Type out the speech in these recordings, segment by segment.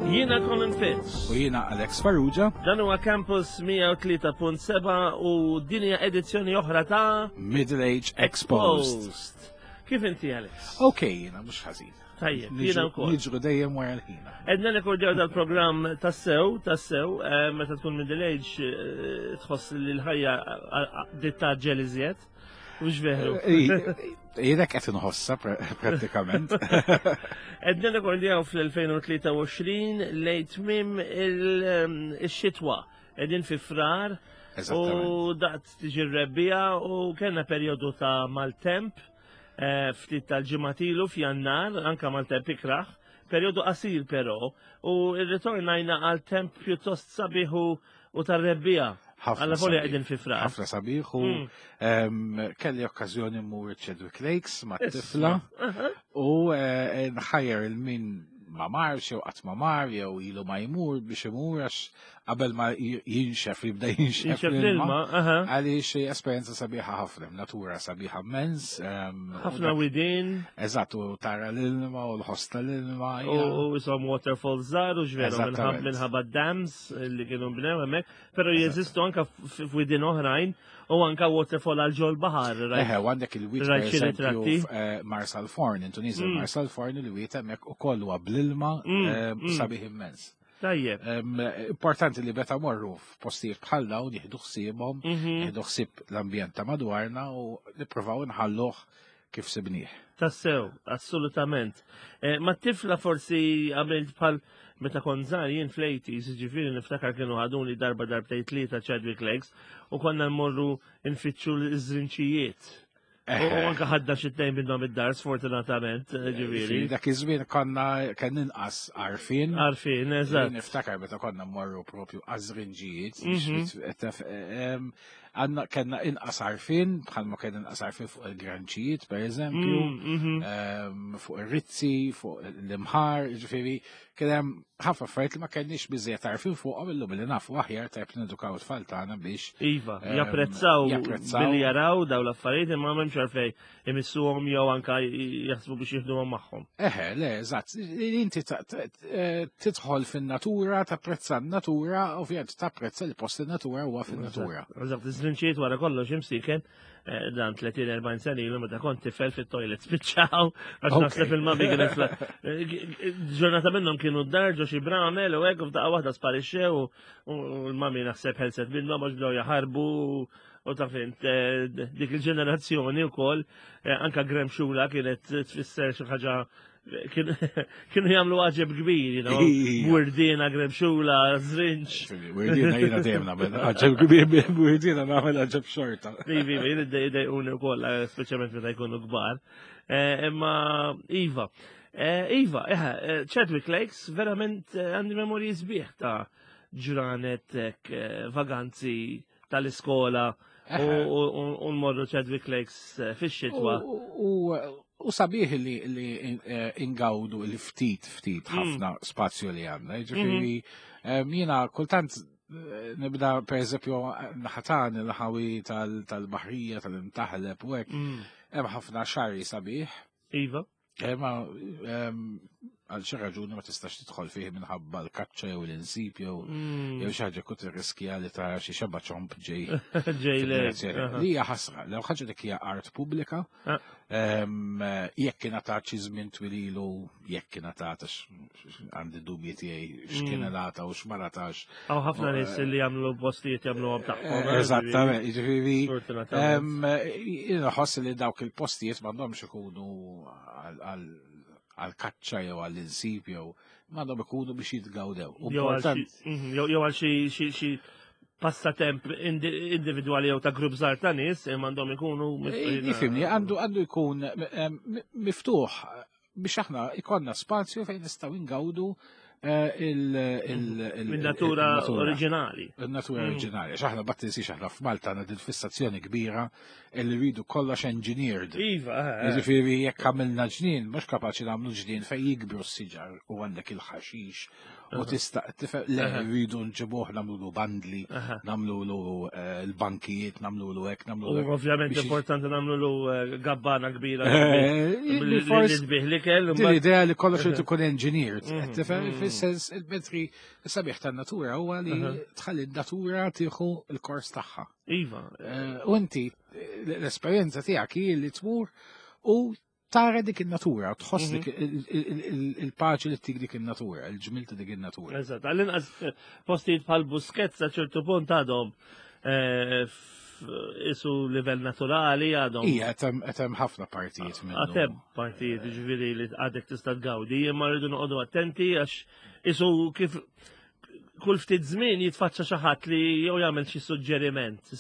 Jiena Colin Fitz. U jiena Alex Farrugia. Dan huwa Campus 103.7 u din hija edizzjoni oħra ta' Middle Age Exposed. Post. Kif inti Alex? Ok, jiena mhux ħażin. Tajjeb, jiena wkoll. Niġru dejjem wara l-ħina. Edna rekordjaw dal-programm tassew, tassew, eh, meta tkun middle age eh, tħoss li l-ħajja ditta ġel iżjed. Mhux veru. Eh, Jiena qed inħossa prattikament. Edna rekordjaw fl-2023 lejn tmiem il-xitwa. Edin fi frar u daqt tiġi r-rebbija u kellna perjodu ta' maltemp eh, ftit tal-ġimatilu f'jannar, anka maltemp ikraħ, perjodu qasir però, u rritornajna għal temp pjuttost sabiħu u tar-rebbija. Għalla volja qegħdin fi frar. Ħafna sabiħ u mm. kelli okkażjoni mmur Chadwick Lakes ma' tifla u eh, nħajjer il-min ma marx jew qatt ma mar jew ilu ma jmur biex imur għax qabel ma jinxef, jibda jinxef l-ilma. Għaliex esperjenza sabiħa ħafna, natura sabiħa immens. Ħafna widin. Eżatt, u tara l-ilma u l-ħoss tal-ilma. U jisom waterfalls żgħar u ġveru minħabba dams li kienu bnew hemmhekk, però jeżistu anka f'widin oħrajn u anka waterfall għal ġol baħar. Eħe, u għandek il-wid per eżempju eh, Marsal Forn, Indonesia mm. Marsal Forn il-wid hemmhekk ukoll huwa bl-ilma mm, eh, mm. sabiħ immens. Tajjeb. Importanti li meta morru f'postijiet bħal dawn jieħdu ħsiebhom, mhm. jieħdu ħsieb l-ambjent ta' madwarna u nippruvaw nħalluh kif sibnieh. Tassew, assolutament. Eh, ma tifla forsi għamilt bħal meta kont żgħar jien fl-80s, ġifieri niftakar kienu ħaduni darba darbtejn tlieta Chadwick Legs u konna nmorru nfittxu l-żrinċijiet. U anka ħadda xi tnejn minnhom id-dar sfortunatament, eh, ġifieri. Dak iż-żmien konna kien inqas għarfien. Għarfien, eżatt. Niftakar meta konna mmorru propju għażrinġijiet, mhm. għandna kellna inqas għarfien, bħalma kien inqas għarfien fuq il-granċijiet, per eżempju, mm, mhm. fuq ir-rizzi, fuq l-imħar, ġifieri, kien hemm ħafna affarijiet li ma kenniex biżejjed għarfien fuqhom illum li nafu aħjar tajb li nedukaw it-tfal tagħna biex Iva, ehm, japprezzaw billi jaraw daw l-affarijiet imma m'hemmx għalfejn imissuhom jew anka jaħsbu biex jieħduhom magħhom. Eħe, le, eżatt. Inti eh, tidħol fin-natura, tapprezza n-natura, ovvjament tapprezza l-post in-natura huwa fin-natura. Eżatt, iż-żrinċijiet wara kollox imsiken Eh, dan 30-40 sena ilu meta kont tifel fit-toilet spiċċaw għax naħseb il-mami kienet eh, ġurnata minnhom kienu d-dar ġo xi bramel u hekk u f'daqqa waħda sparixxew u l-mami naħseb ħelset minnhom għax bdew jaħarbu u ta' fint eh, dik il-ġenerazzjoni wkoll anka Graham Xula kienet tfisser xi ħaġa Kienu jagħmlu għaġeb kbir, you know. Wurdina, gremxula, zrinċ. Wurdina jiena dejjem nagħmel għaġeb kbir, wurdina nagħmel għaġeb xorta. Ivi, ivi, jien idejquni wkoll, eh, speċjalment meta jkunu kbar. Eh, imma Iva, eh, Iva, Chadwick Lakes verament għandi memorji sbieħ ta' ġranet vaganzi tal-iskola u nmorru Chadwick Lakes eh, fix-xitwa. U sabiħ li eh, ingawdu il-ftit ftit mm. ħafna spazju li għandna. Ġifieri mm-hmm. eh, jiena kultant nibda per eżempju naħatan il-ħawi tal-baħrija tal-imtaħleb u hekk. Mm. Hemm ħafna xarri sabiħ. Iva. Imma għal xi raġuni ma tistax tidħol fih minħabba l-kaċċa jew l-insib jew mm. jew xi ħaġa kont tirriskja li tara xi xeba ċomp ġej. Ġej le. Li hija ħasra, l ħaġa dik hija art pubblika. Ah. Jekk ingħatat xi żmien twililu, jekk ingħatat għandi dubji tiegħi x'kien mm. ingħata u x'ma ngħatax. Hawn ħafna nies li jagħmlu postijiet jagħmluhom tagħhom. Eh, eżattament, jiġifieri Inħoss li dawk il-postijiet m'għandhomx ikunu għal kaċċa jew għall insib jew m'għandhom ikunu biex jitgawdew. Mhm, jew għal xi passatemp individwali jew ta' grupp żgħar ta' nies m'għandhom ikunu eh, Nifhimni, għandu għandu jkun miftuħ biex aħna ikonna spazju fejn nistgħu ingawdu eh, il-natura oriġinali. Il-natura mm. oriġinali. X'aħna bat tinsiex aħna f'Malta għandna din fissazzjoni kbira li rridu kollox engineered. Iva. Eh, eh. Jiġifieri jekk għamilna ġnien, mhux kapaċi nagħmlu ġnien fejn jikbru s-siġar u għandek il-ħaxix. u tista' tifhem le rridu nġibuh nagħmlulu bandli, nagħmlulu eh, l-bankijiet, nagħmlulu hekk, nagħmlulu. U ovvjament importanti nagħmlulu eh, gabbana kbira. Eh, forsi tbih l-ikel. Din l-idea li kollox irid ikun engineered, mhm, tifhem mhm. fis-sens il-mentri sabiħ tan-natura huwa li tħalli n-natura tieħu l-kors tagħha. Iva. U inti l-esperjenza tiegħek hi li tmur u tara dik in-natura, tħoss dik mhm. il-paċi li tik dik in-natura, il-ġmil ta' dik in-natura. Eżatt, għall-inqas eh, postijiet bħal Busquets sa ċertu punt għadhom eh, isu livell naturali għadhom. Ija, hemm ħafna partijiet minnu. Għatem partijiet ġifieri li għadek tista' tgawdi, imma rridu noqogħdu attenti għax isu kif kull ftit żmien jitfaċċa xi ħadd li jew jagħmel xi suġġeriment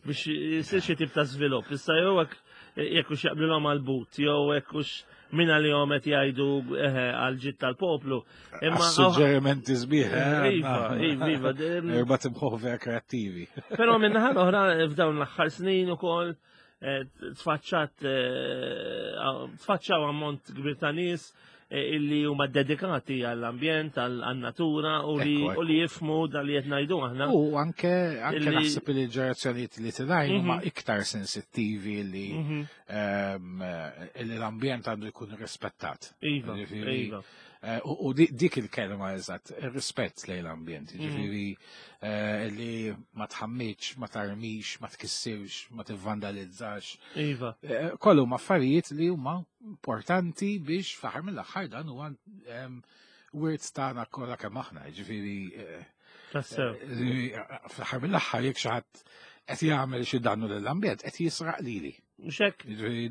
biex jsir xi tip ta' żvilupp. Issa jew hekk jekk hux jaqblilhom għall-but jew hekk hux min għalihom qed jgħidu għal ġid tal-poplu. Imma suġġerimenti sbieħ. Eh, iva, iva, iva. Erba' timħuħ vera kreattivi. Però minn naħa l-oħra f'dawn l-aħħar snin ukoll eh, tfaċċat eh, tfaċċaw ammont kbir ta' nies eh, illi huma dedikati għall-ambjent, għall-natura u li u li jifmu dal li qed ngħidu aħna. U anke anke naħseb li l-ġenerazzjonijiet li tilgħin huma mhm. iktar sensittivi li mhm. ehm, l-ambjent għandu jkun rispettat. Iva, iva. Eh, u dik il-kelma eżatt, rispett lejn l-ambjent, mhm. ġifieri eh, li ma tħammitx, ma tarmix, ma tkissirx, ma tivvandalizzax. Iva. Eh, kollu ma affarijiet li huma importanti biex fl-aħħar mill-aħħar dan huwa ehm, wirt tagħna kollha kemm aħna, ġifieri fl-aħħar mill-aħħar jekk xi ħadd qed jagħmel xi dannu lill-ambjent qed jisraq lili. Mhux hekk?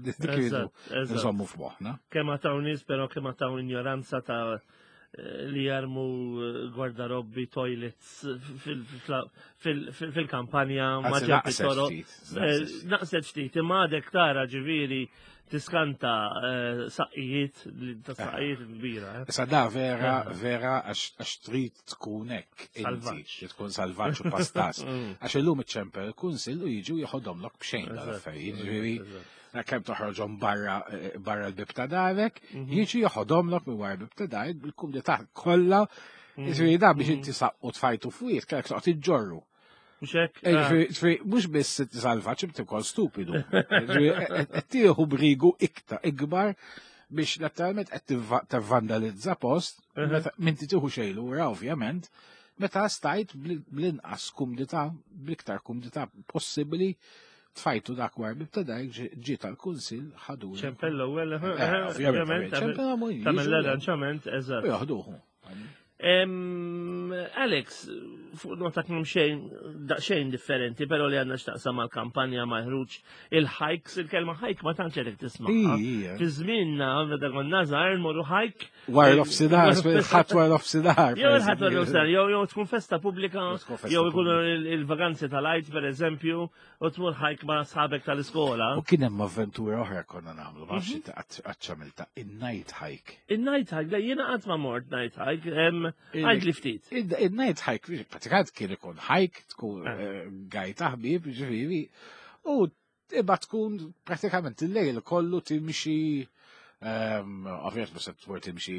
Dik iridu nżommu f'moħħna. Kemm għataw nies però kemm għataw ignoranza ta' eh, li jarmu eh, gwardarobbi toilets fil-kampanja ma ġemp it-toroq. Eh, naqset ftit, imma għadek tara ġifieri tiskanta saqqijiet ta' saqqijiet kbira. Issa da vera, vera għax trid tkun hekk inti, li tkun salvaġġ u pastas. Mm. Għax illum iċċempel il-kunsill u jiġu jeħodhomlok b'xejn dal-affarijiet. Ġifieri kemm toħroġhom barra eh, barra l-bib ta' darek, mhm. jiġu jeħodhomlok minn wara l-bib ta' darek bil-kumdità kollha. Mhm. Ġifieri da biex inti saqqu tfajtu fwiet, kellek toqgħod iġġorru. Mhux hekk? Eh, ah. Ġifieri mhux biss salvaġġ imma ukoll stupidu. Qed tieħu brigu iktar ikbar biex letteralment qed tivvandalizza post meta m'inti tieħu xejn lura ovvjament, meta stajt bl-inqas kumdità, bl-iktar kumdità possibbli tfajtu dak war bib ta' dak ġi tal-kunsil ħadu. Ċempel l-ewwel, eh, eh, ovvjament, tagħmel l-arranġament, eżatt. Jaħduhu. Alex, fuq nota kemm xejn daqsxejn differenti, però li għandna x'taqsam mal-kampanja ma' ħruġ il-hikes, il-kelma hike ma tantx qed tisma'. Fi żmienna meta konna żgħar nmorru hike. Wara l-offsinar, ħadd wara l-offsinar. Jew il-ħadd wara l-offsinar, jew tkun festa pubblika, jew ikunu il-vaganzi tal-Għid pereżempju, u tmur ħajk ma' sħabek tal-iskola. U kien hemm avventura oħra konna nagħmlu, ma nafx mhm. qatt għamilta, in-night hike. In-night hike, le jiena qatt ma mort night hike, għajd li ftit. In-night hike, pratikant kien ikun hike, tkun ah. eh, gaj taħbib, ġifieri, u imma tkun pratikament il-lejl kollu timxi Ehm, ovvjament mhux se tmur timxi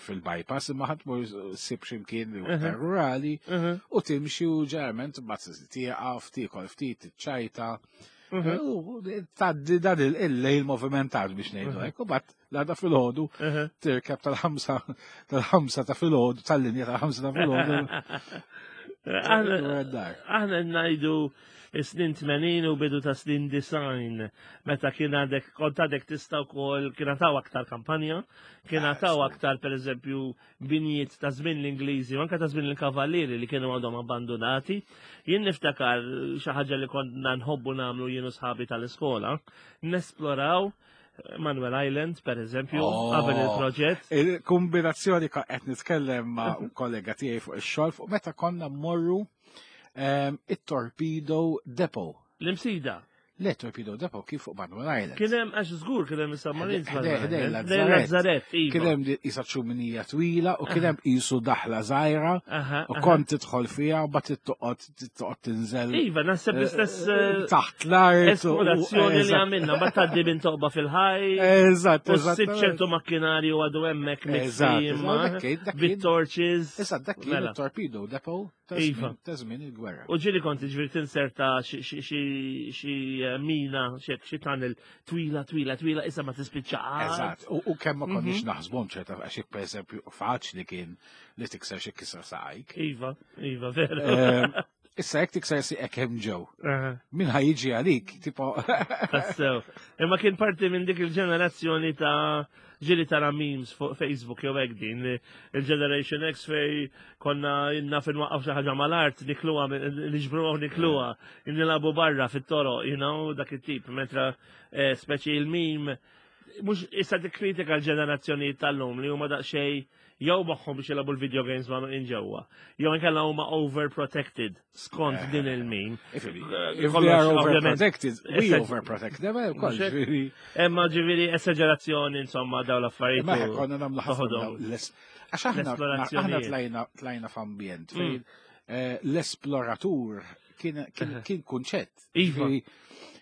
fil-bypass, imma ħadd tmur sib x'imkien li iktar rurali u timxi u ġeneralment mbagħad tieqaf, tiekol ftit, tiċċajta. U tgħaddi dan il-lejl movimentat biex ngħidu hekk, u mbagħad l-għada filgħodu tirkeb tal-ħamsa tal-ħamsa ta' filgħodu tal-linja tal-ħamsa ta' filgħodu. Aħna ngħidu Is-snin 80 u bidu ta' snin 90 meta kien għadek kont għadek tista' wkoll kien għataw aktar kampanja, kien ah, għataw aktar pereżempju binjiet ta' żmien l-Ingliżi u anke ta' żmien il-Kavallieri li kienu għadhom abbandonati. Jien niftakar xi ħaġa li konna nħobbu nagħmlu jien u sħabi tal-iskola, nesploraw Manuel Island, per eżempju, oh, qabel il-proġett. Il-kombinazzjoni qed nitkellem ma' kollega tiegħi fuq ix-xogħol fuq meta konna mmorru Ehm, it-Torpedo Depot. L-imsida. Le Torpedo Depot kif fuq Manuel Island. Kien hemm għax żgur kien hemm is-submarines. Ħdej Lazzaret. Iva. Kien hemm isa ċuminija twila u kien hemm qisu daħla żgħira u kont tidħol fiha u bagħad toqgħod toqgħod tinżel. Iva, naħseb l-istess eh, eh, taħt l-art. Esplorazzjoni li għamilna, ma tgħaddi minn toqba fil-ħaj. Eżatt, eżatt. U ċertu makkinarju għadu hemmhekk minn bit-torches. Eżatt, dak kien mela. torpedo depot. Iva. Ta' żmien il-gwerra. U ġieli kont ġifieri tinserta xi eh, mina, xi tunnel twila, twila, twila, issa ma tispiċċa. Eżatt, u kemm ma konniex mhm. naħsbhom ċerta għax jekk pereżempju faċli kien li tikser xi kisra saqajk. Iva, iva, veru. Ehm, issa jekk tikser siqek hemm ġew. Min ħajġi għalik, tipo. Tassew. Imma kien parti minn dik il-ġenerazzjoni ta' ġili tara memes fuq Facebook jew hekk din il-Generation X fej konna naf inwaqqaf xi ħaġa mal-art nikluha niġbruha u nikluha nilagħbu barra fit-toroq, you know, dak it-tip, mentra eh, speċi il-meme mhux issa tikkritika l-ġenerazzjonijiet tal-lum li huma daqsxejn jew moħħhom biex jilagħbu l-video games ma' in ġewwa, jew inkella huma overprotected skont eh, din il-min. If they are overprotected, we overprotect them, eh, ukoll. Imma ġifieri esagerazzjoni insomma daw l-affarijiet. Ma konna nagħmlu ħafna Għax aħna tlajna tlajna f'ambjent fejn mm. eh, l-esploratur kien kunċett. Iva.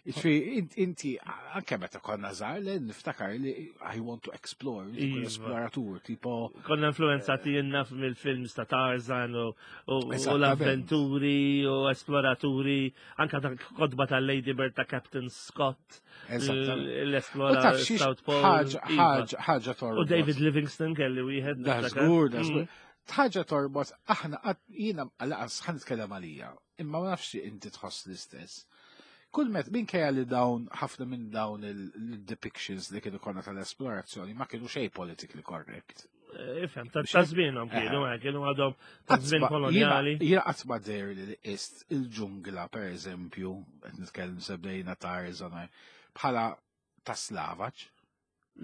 Ġifieri, inti, anke meta konna żgħar, le niftakar li I want to explore, iva. esploratur, tipo. Konna influenzati jenna mill-films ta' Tarzan u l-avventuri u esploraturi, anka ta' kodba ta' Lady Bird ta' Captain Scott. L-esplora South Pole. Iva. Ħaġa torbot. U David Livingston kelli wieħed. Da żgur, da żgur. Mm. Ħaġa torbot, aħna jiena għalaqas ħan nitkellem għalija imma ma nafx inti tħoss l-istess. Kull met minkejja li dawn ħafna minn dawn il-depictions li kienu konna tal-esplorazzjoni ma kienu xej politically correct. Eh, ifhem, ta' żmienhom kienu, eh, kienu għadhom ta' żmien kolonjali. Jiena qatt ma deher li ist il-ġungla pereżempju, qed nitkellem sebdejna Tarzan bħala ta' slavaġ.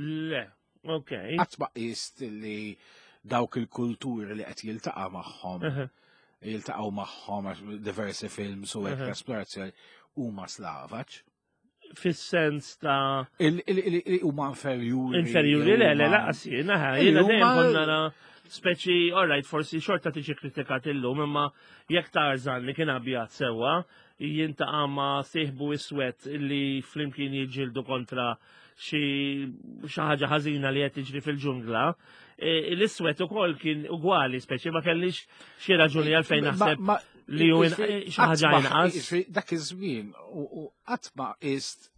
Le, ok. Qatt ma qist li dawk il-kulturi li qed jiltaqa' magħhom, jiltaqgħu magħhom diversi films u hekk esplorazzjoni huma slavaġ. Fis-sens ta' huma inferjuri. Inferjuri le, le, laqas jiena, jiena dejjem konna nara speċi, all right, forsi xorta tiġi kritikat illum, imma jekk Tarzan li kien abjad sewwa, jintaqa' ma' sieħbu iswed li flimkien jiġġieldu kontra xi ħaġa ħażina li qed tiġri fil-ġungla, e, l-iswed ukoll kien ugwali, speċi ma kellix xi raġuni għalfejn naħseb li hu xi ħaġa inqas. Dak iż-żmien u qatt ma qist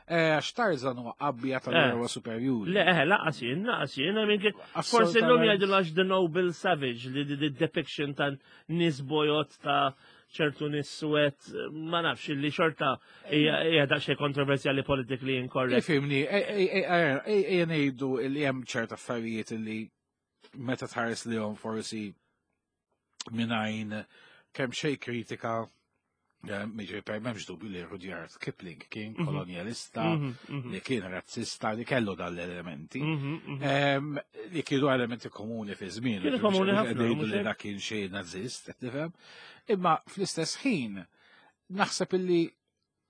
e, għax Tarzan huwa qabbija tal-erwa eh. superjuri. Le, eh, laqas jien, laqas jien, forsi l-lum jgħidu għax The Noble Savage, li the depiction ta' nies bojot ta' ċertu nies suwed, ma nafx li xorta hija daqsxejn kontroversjali politically incorrect. Ifimni, ejja ngħidu li hemm ċerta affarijiet li meta tħares li forsi mingħajn kemm xejn kritika Miġri per memx dubju li Rudyard Kipling kien mhm. kolonialista, mhm, mhm. li kien razzista, li kellu dal-elementi, li kienu elementi komuni fi żmien. Kienu komuni ħafna. Li dak kien xejn nazist, qed tifhem. Imma fl-istess ħin, naħseb illi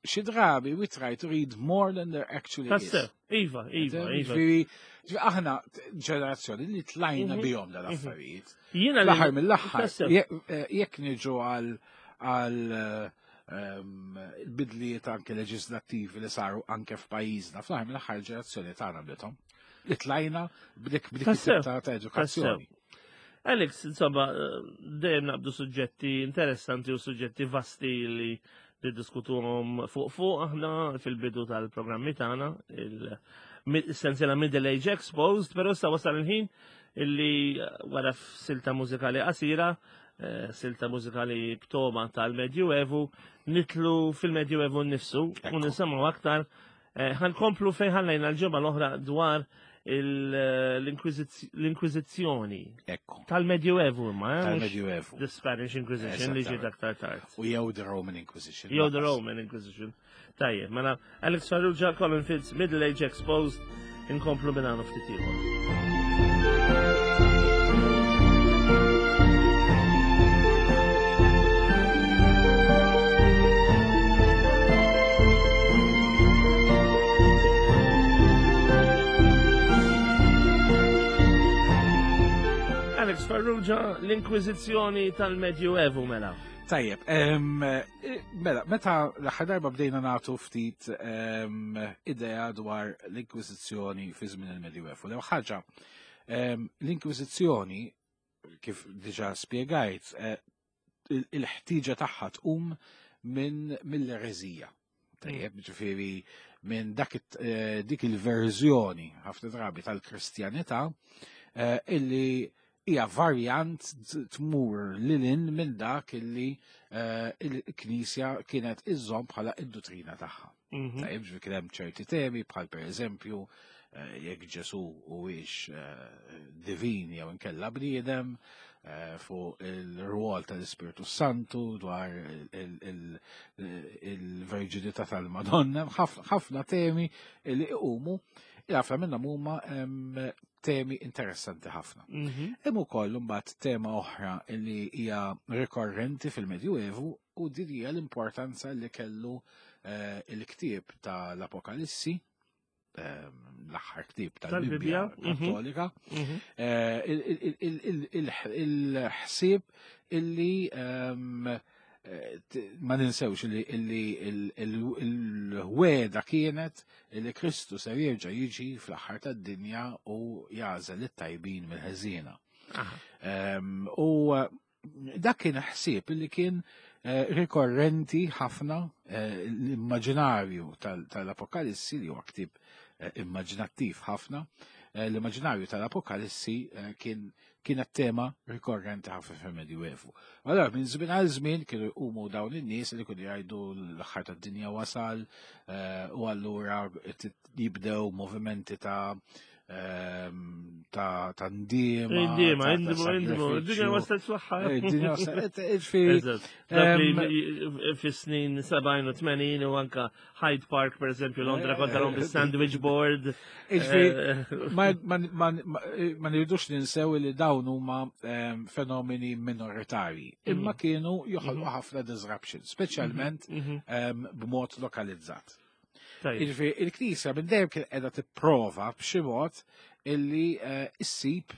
xi drabi we try to read more than there actually is. Tassew, iva, iva, iva. Ġifieri, aħna ġenerazzjoni li tlajna mhm. bihom dal-affarijiet. Jiena l-aħħar mill-aħħar, eh, jekk niġu għal għal ehm, bidliet anke leġislattivi li saru anke f'pajjiżna, fl-aħħar mill-aħħar ġenerazzjoni tagħna bdithom. Li tlajna b'dik b'dik ta' edukazzjoni. Alex, insomma, dejjem naqbdu suġġetti interessanti u suġġetti vasti li niddiskutuhom fuq fuq aħna fil-bidu tal-programmi tagħna, il-sensiela Middle Age Exposed, però issa wasal il-ħin illi wara silta mużikali qasira, eh, silta mużikali b'toma tal-Medjuevu, nitlu fil-Medjuevu nnifsu u nisimgħu aktar eh, ħankomplu fejn ħallejna l-ġimgħa l-oħra dwar l-Inkwiżizzjoni. Ekku. Tal-Medjuevu imma, eh? Tal-Medjuevu. The Spanish Inquisition li ġiet aktar tard. U jew the Roman Inquisition. Jew the Roman Inquisition. Tajjeb, mela Alex Farrugia, Colin Fitz, Middle Age Exposed, inkomplu minn għanu ftit ieħor. Farrugia, l-Inkwiżizzjoni tal-Medju Evu mela. Tajjeb, mela, meta l-aħħar darba bdejna nagħtu ftit idea dwar l-Inkwiżizzjoni fi żmien il-Medju Evu. L-ewwel ħaġa, l-Inkwiżizzjoni, kif diġà spjegajt, il-ħtieġa tagħha tqum minn mill-ereżija. Tajjeb, ġifieri minn dak dik il-verżjoni ħafna drabi tal-Kristjanità illi hija varjant tmur lilin minn dak illi il-Knisja kienet iżżomm bħala id-duttrina tagħha. Tajjeb, ġifieri kien hemm ċerti temi bħal pereżempju jekk Ġesu huwiex divin jew inkella bniedem, fuq il-rwol tal-Ispirtu Santu dwar il-verġinità tal-Madonna, ħafna temi li iqumu, ħafna minnhom huma temi interessanti ħafna. Hemm ukoll imbagħad tema oħra li hija rikorrenti fil-Medjuevu u din hija l-importanza li kellu il-ktieb tal-Apokalissi, l-aħħar ktieb tal-Bibbja Kattolika, il-ħsieb illi ma ninsewx illi il-wegħda kienet illi Kristu ser jerġa' jiġi fl-aħħar tad-dinja u jagħżel it-tajbin mill-ħżiena. U dak kien ħsieb illi kien rikorrenti ħafna, l-immaġinarju tal-Apokalissi li huwa ktieb immaġinattiv ħafna, l-immaġinarju tal-Apokalissi kienet tema rikorrenti ħafna fil-Medjuevu. Allora minn żmien għal żmien kienu jqumu dawn in-nies li kienu jgħidu l-aħħar tad-dinja wasal, u allura jibdew movimenti ta' ndiema. Ndiema, indimu, indimu, id-dinja waslet fl-aħħar. Id-dinja waslet, ġifieri, Eżatt. Dak li fis-snin 70 u 80 u anka Hyde Park, per eżempju, Londra kontra l sandwich board. Ġifieri, ma nridux ninsew li dawn huma fenomeni minoritarji, imma kienu joħolqu ħafna disruption, speċjalment b'mod lokalizzat. Jiġifieri, il-Knisja minn dejjem kien qiegħda tipprova b'xi mod illi issib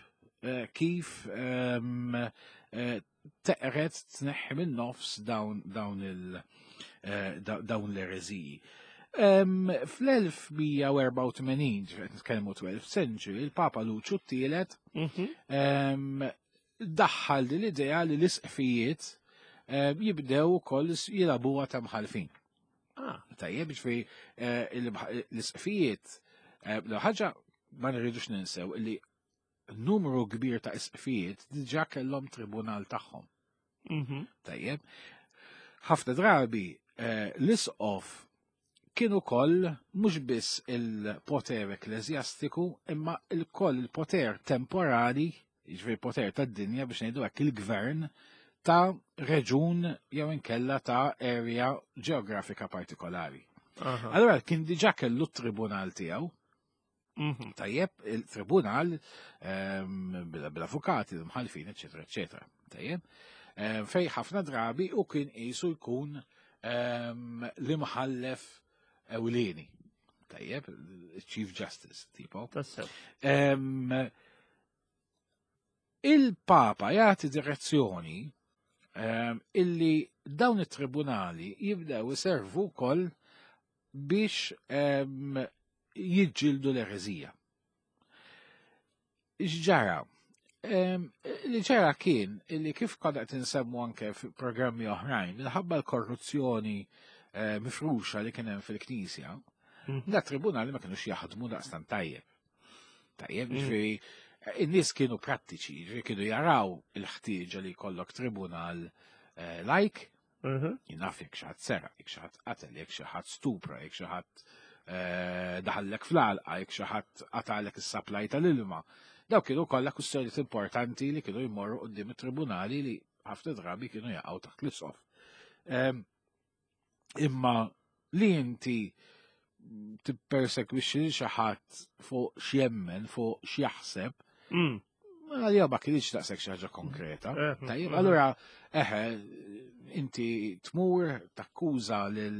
kif teqret tneħħi minn nofs dawn l-ereżiji. Fl-1184, ġifieri nitkellmu 12th century, il-Papa Luċu t-tielet daħħal din l-idea li l-isqfijiet jibdew ukoll jilagħbuha ta' mħallfin. Tajjeb, ġifieri l-isqfijiet, ħaġa ma nirridux ninsew li numru kbir ta' isqfijiet diġà kellhom tribunal tagħhom. Tajjeb, ħafna drabi l-isqof kien ukoll mhux biss il-poter ekkleżjastiku imma il-koll il-poter temporali, jiġifieri poter tad-dinja biex ngħidu hekk, il-gvern ta' reġun jew inkella ta' area ġeografika partikolari. Allora kien diġà kellu t-tribunal tiegħu. Tajjeb, il-tribunal bil-avukati, l-mħallfin, eccetera, eccetera. Tajjeb, fej ħafna drabi u kien qisu jkun l-imħallef ewlieni. Tajjeb, Chief Justice, tipo. Tassew. Il-Papa jagħti direzzjoni illi dawn it-tribunali jibdew iservu wkoll biex jiġġieldu l-ereżija. X'ġara? Li ġara kien illi kif konna qed insemmu anke f'programmi oħrajn, minħabba l-korruzzjoni mifruxa li kien hemm fil-Knisja, da tribunali ma kinux jaħdmu daqstant tajjeb. Tajjeb, ġifieri, in-nies kienu prattiċi, ġifieri kienu jaraw il-ħtieġa li jkollok tribunal lajk, jien naf jekk xi ħadd seraq, jekk xi ħadd qatel, jekk xi ħadd stupra, jekk xi ħadd daħallek fl-għalqa, jekk xi ħadd qatalek is-supply tal-ilma. Daw kienu kollha kwistjonijiet importanti li kienu jmorru quddiem it-tribunali li ħafna drabi kienu jaqgħu taħt l-isqof. Imma li inti tippersekwixxi lil xi ħadd fuq x'jemmen, fuq x'jaħseb, għalija ma kienx daqshekk xi ħaġa konkreta. Tajjeb, allura eħe, inti tmur takkuża lil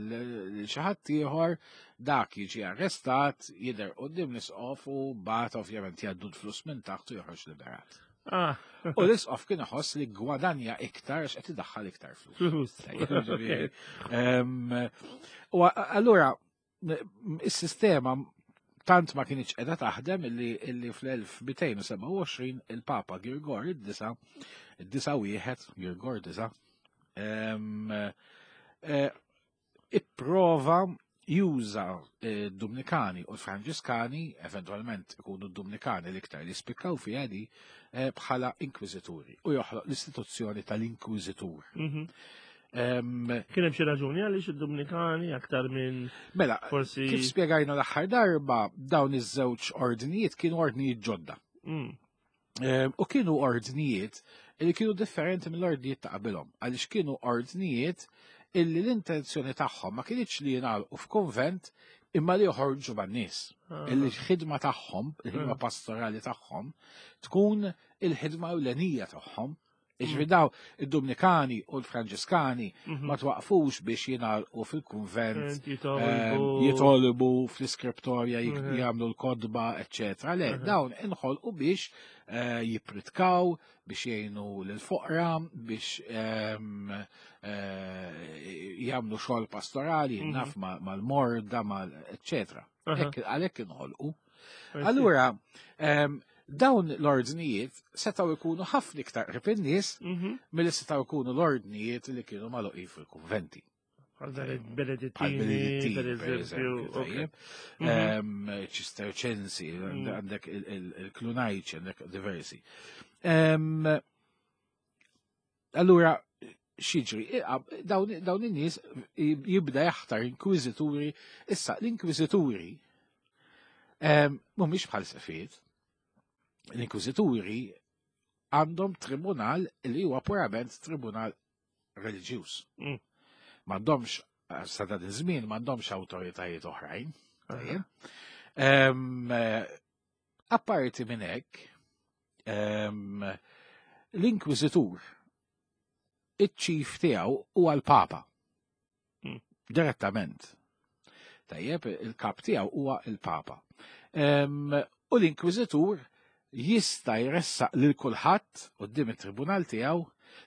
xi ħadd ieħor, dak jiġi arrestat, jidher quddiem l-isqof u mbagħad ovvjament jgħaddu l-flus minn taħt u joħroġ liberat. Ah. U l-isqof kien iħoss li gwadanja iktar għax qed idaħħal iktar flus. U allura is-sistema tant ma kienx qiegħda taħdem illi, illi fl-1227 il-Papa Girgor id-disa, id-disa wieħed, Girgor disa, eh, ipprova juża eh, d-Dumnikani u l-Franġiskani, eventualment ikunu d-Dumnikani l-iktar li spikkaw fiha di, eh, bħala inkwiżituri u joħloq l-istituzzjoni tal-inkwiżitur. Mhm. Kien hemm xi raġuni għaliex id-Dumnikani aktar minn Mela, forsi kif spjegajna l-aħħar darba dawn iż-żewġ ordnijiet kienu ordnijiet ġodda. U kienu ordnijiet li kienu differenti mill-ordnijiet ta' qabilhom, għaliex kienu ordnijiet illi l-intenzjoni tagħhom ma kienx li jingħalqu f'kunvent imma li joħorġu man-nies. Ah. Illi l-ħidma tagħhom, il-ħidma ah. pastorali tagħhom, tkun il-ħidma ewlenija tagħhom Iġri mm. daw id-Dominikani u l-Franġiskani mhm. ma twaqfux biex jingħalqu fil-kunvent, ehm, jitolbu fl-iskriptorja mhm. jagħmlu l-kodba, eċċetera. Le, mhm. dawn inħolqu biex eh, jipritkaw, biex jgħinu l-foqra, biex ehm, eh, jagħmlu xogħol pastorali, naf mal-morda, mal eċċetera. Għalhekk inħolqu. Allura, ehm, dawn l-ordnijiet setgħu jkunu ħafna iktar qrib in-nies mhm. milli setgħu jkunu l-ordnijiet li kienu magħluqin fil-kunventi. Għal Benedittini, per eżempju. Mhm. Ehm, Ċisterċensi, mhm. għandek il-Klunajċi, għandek diversi. Ehm, allura, xiġri, dawn in-nies jibda jaħtar inkwiżituri, issa l-inkwiżituri ehm, mhumiex bħal sefiet. L-inkwiżituri għandhom tribunal li huwa purament tribunal reliġjuż. M'għandhomx sa dan iż-żmien m'għandhomx awtoritajiet oħrajn. Ehm, Apparti minn hekk, ehm, l-inkwiżitur iċ-ċif tiegħu huwa l-Papa. Direttament. Tajjeb, il-kap tiegħu huwa l-Papa. Ehm, u l-inkwiżitur jista' jressaq lil kulħadd quddiem it-tribunal tiegħu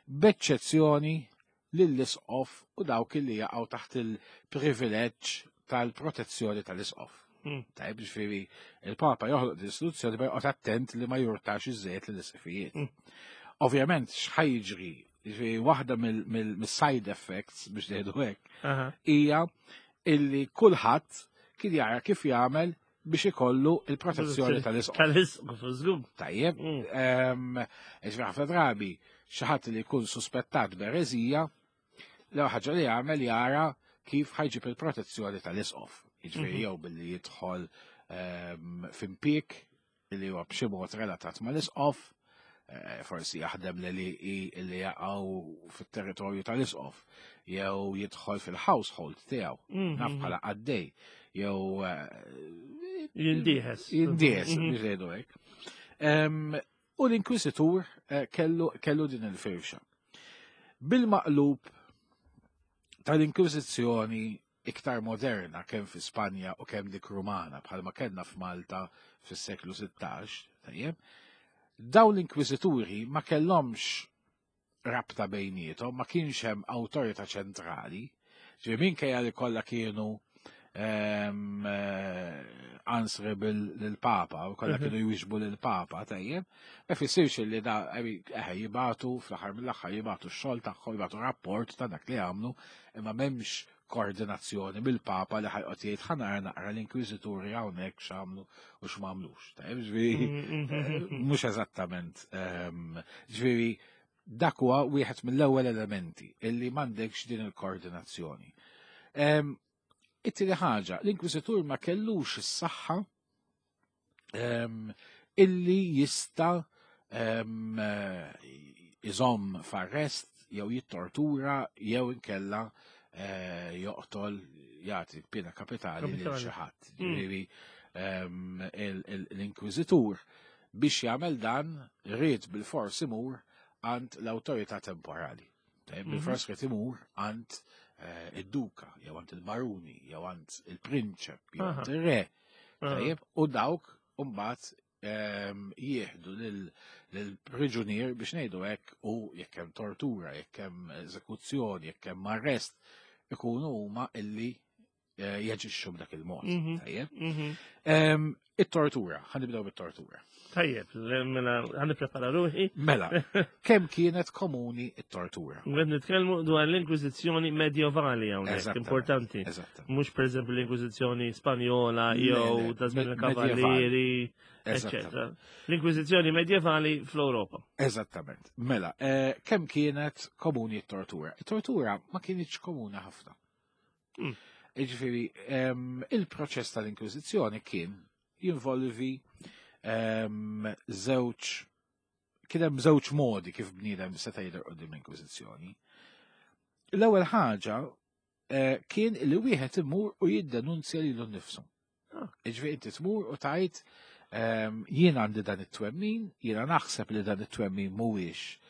b'eċċezzjoni lill-isqof u dawk li jaqgħu taħt il-privileġġ tal-protezzjoni tal-isqof. Tajb, ġifieri il-Papa joħloq din istituzzjoni ma joqgħod attent li ma jurtax iżejjed lill-isqfijiet. Ovvjament x'ħajġri, ġifieri waħda mill-side effects biex ngħidu hekk, hija illi kulħadd kien jara kif jagħmel biex ikollu il-protezzjoni tal-isqof. Tal-isqof, żgur. Tajjeb, ġifieri ħafna drabi xi ħadd li jkun suspettat b'ereżija, l ħaġa li jagħmel jara kif ħajġib il-protezzjoni tal-isqof. Jiġifieri mhm. jew billi jidħol f'impik li huwa b'xi mod relatat mal-isqof, eh, forsi jaħdem li li jaqgħu fit-territorju tal-isqof, jew jidħol fil-household tiegħu, mhm. naf bħala qaddej, jew eh, jindieħes. Jindieħes, mhm. biex ngħidu hekk. U l-Inkwisitur eh, kellu, kellu din il-firxa. Bil-maqlub tal-Inkwiżizzjoni iktar moderna kemm fi Spanja u kemm dik Rumana bħalma kellna f'Malta fis-seklu 16, tajjeb, dawn l-inkwiżituri ma kellhomx rabta bejniethom, ma kienx hemm awtorità ċentrali, ġifieri minkejja li kollha kienu ehm, eh, answerable lill-Papa, u kollha mhm. kienu jwiġbu lill-Papa, tajjeb, ma jfissirx li da eh, jibatu fl-aħħar mill-aħħar jibatu x-xogħol tagħhom, jibatu rapport ta' dak li għamlu, imma m'hemmx koordinazzjoni mill-Papa li ħajqgħod jgħid ħa nara naqra l-inkwiżituri hawnhekk x'għamlu u x'm'għamlux. Tajjeb, ġifieri eh, mhux eżattament ehm, ġifieri dak huwa wieħed mill-ewwel elementi illi m'għandekx din il-koordinazzjoni. Ehm, it-tieni ħaġa, l-inkwiżitur ma kellux is-saħħa ehm, illi jista' ehm, iżomm f'arrest jew jittortura jew inkella eh, joqtol jagħti pena kapitali lil xi ħadd. Ġifieri ehm, l-inkwiżitur biex jagħmel dan ried bil-fors imur għand l-awtorità temporali. Mhm. Bil-fors ried imur għand eh, id-duka, jew għand il-baruni, jew għand il-prinċep, jew għand ir-re. Tajjeb, u dawk mbagħad Jieħdu lill-priġunier biex ngħidu hekk u jekk hemm tortura, jekk hemm eżekuzzjoni, jekk hemm arrest, ikunu huma illi jaġixxu b'dak il-mod. Tajjeb. It-tortura, ħa nibdew bit-tortura. Tajjeb, mela ħa nipprepara ruħi. Mela, kemm kienet komuni it-tortura? Qed nitkellmu dwar l-Inkwiżizzjoni medjevali hawnhekk, importanti. Mhux pereżempju l-Inkwiżizzjoni Spanjola jew ta' żmien il-Kavallieri, eċċetera. L-Inkwiżizzjoni medjevali fl-Ewropa. Eżattament. Mela, kemm kienet komuni t-tortura? It-tortura ma kienitx komuni ħafna. Iġifieri, il-proċess tal-Inkwiżizzjoni kien jinvolvi żewġ kien hemm żewġ modi kif bniedem seta' jidher quddiem l-Inkwiżizzjoni. L-ewwel ħaġa kien li wieħed imur u jiddenunzja lilu nnifsu. Iġifieri inti tmur u tgħid jien għandi dan it-twemmin, jiena naħseb li dan it-twemmin mhuwiex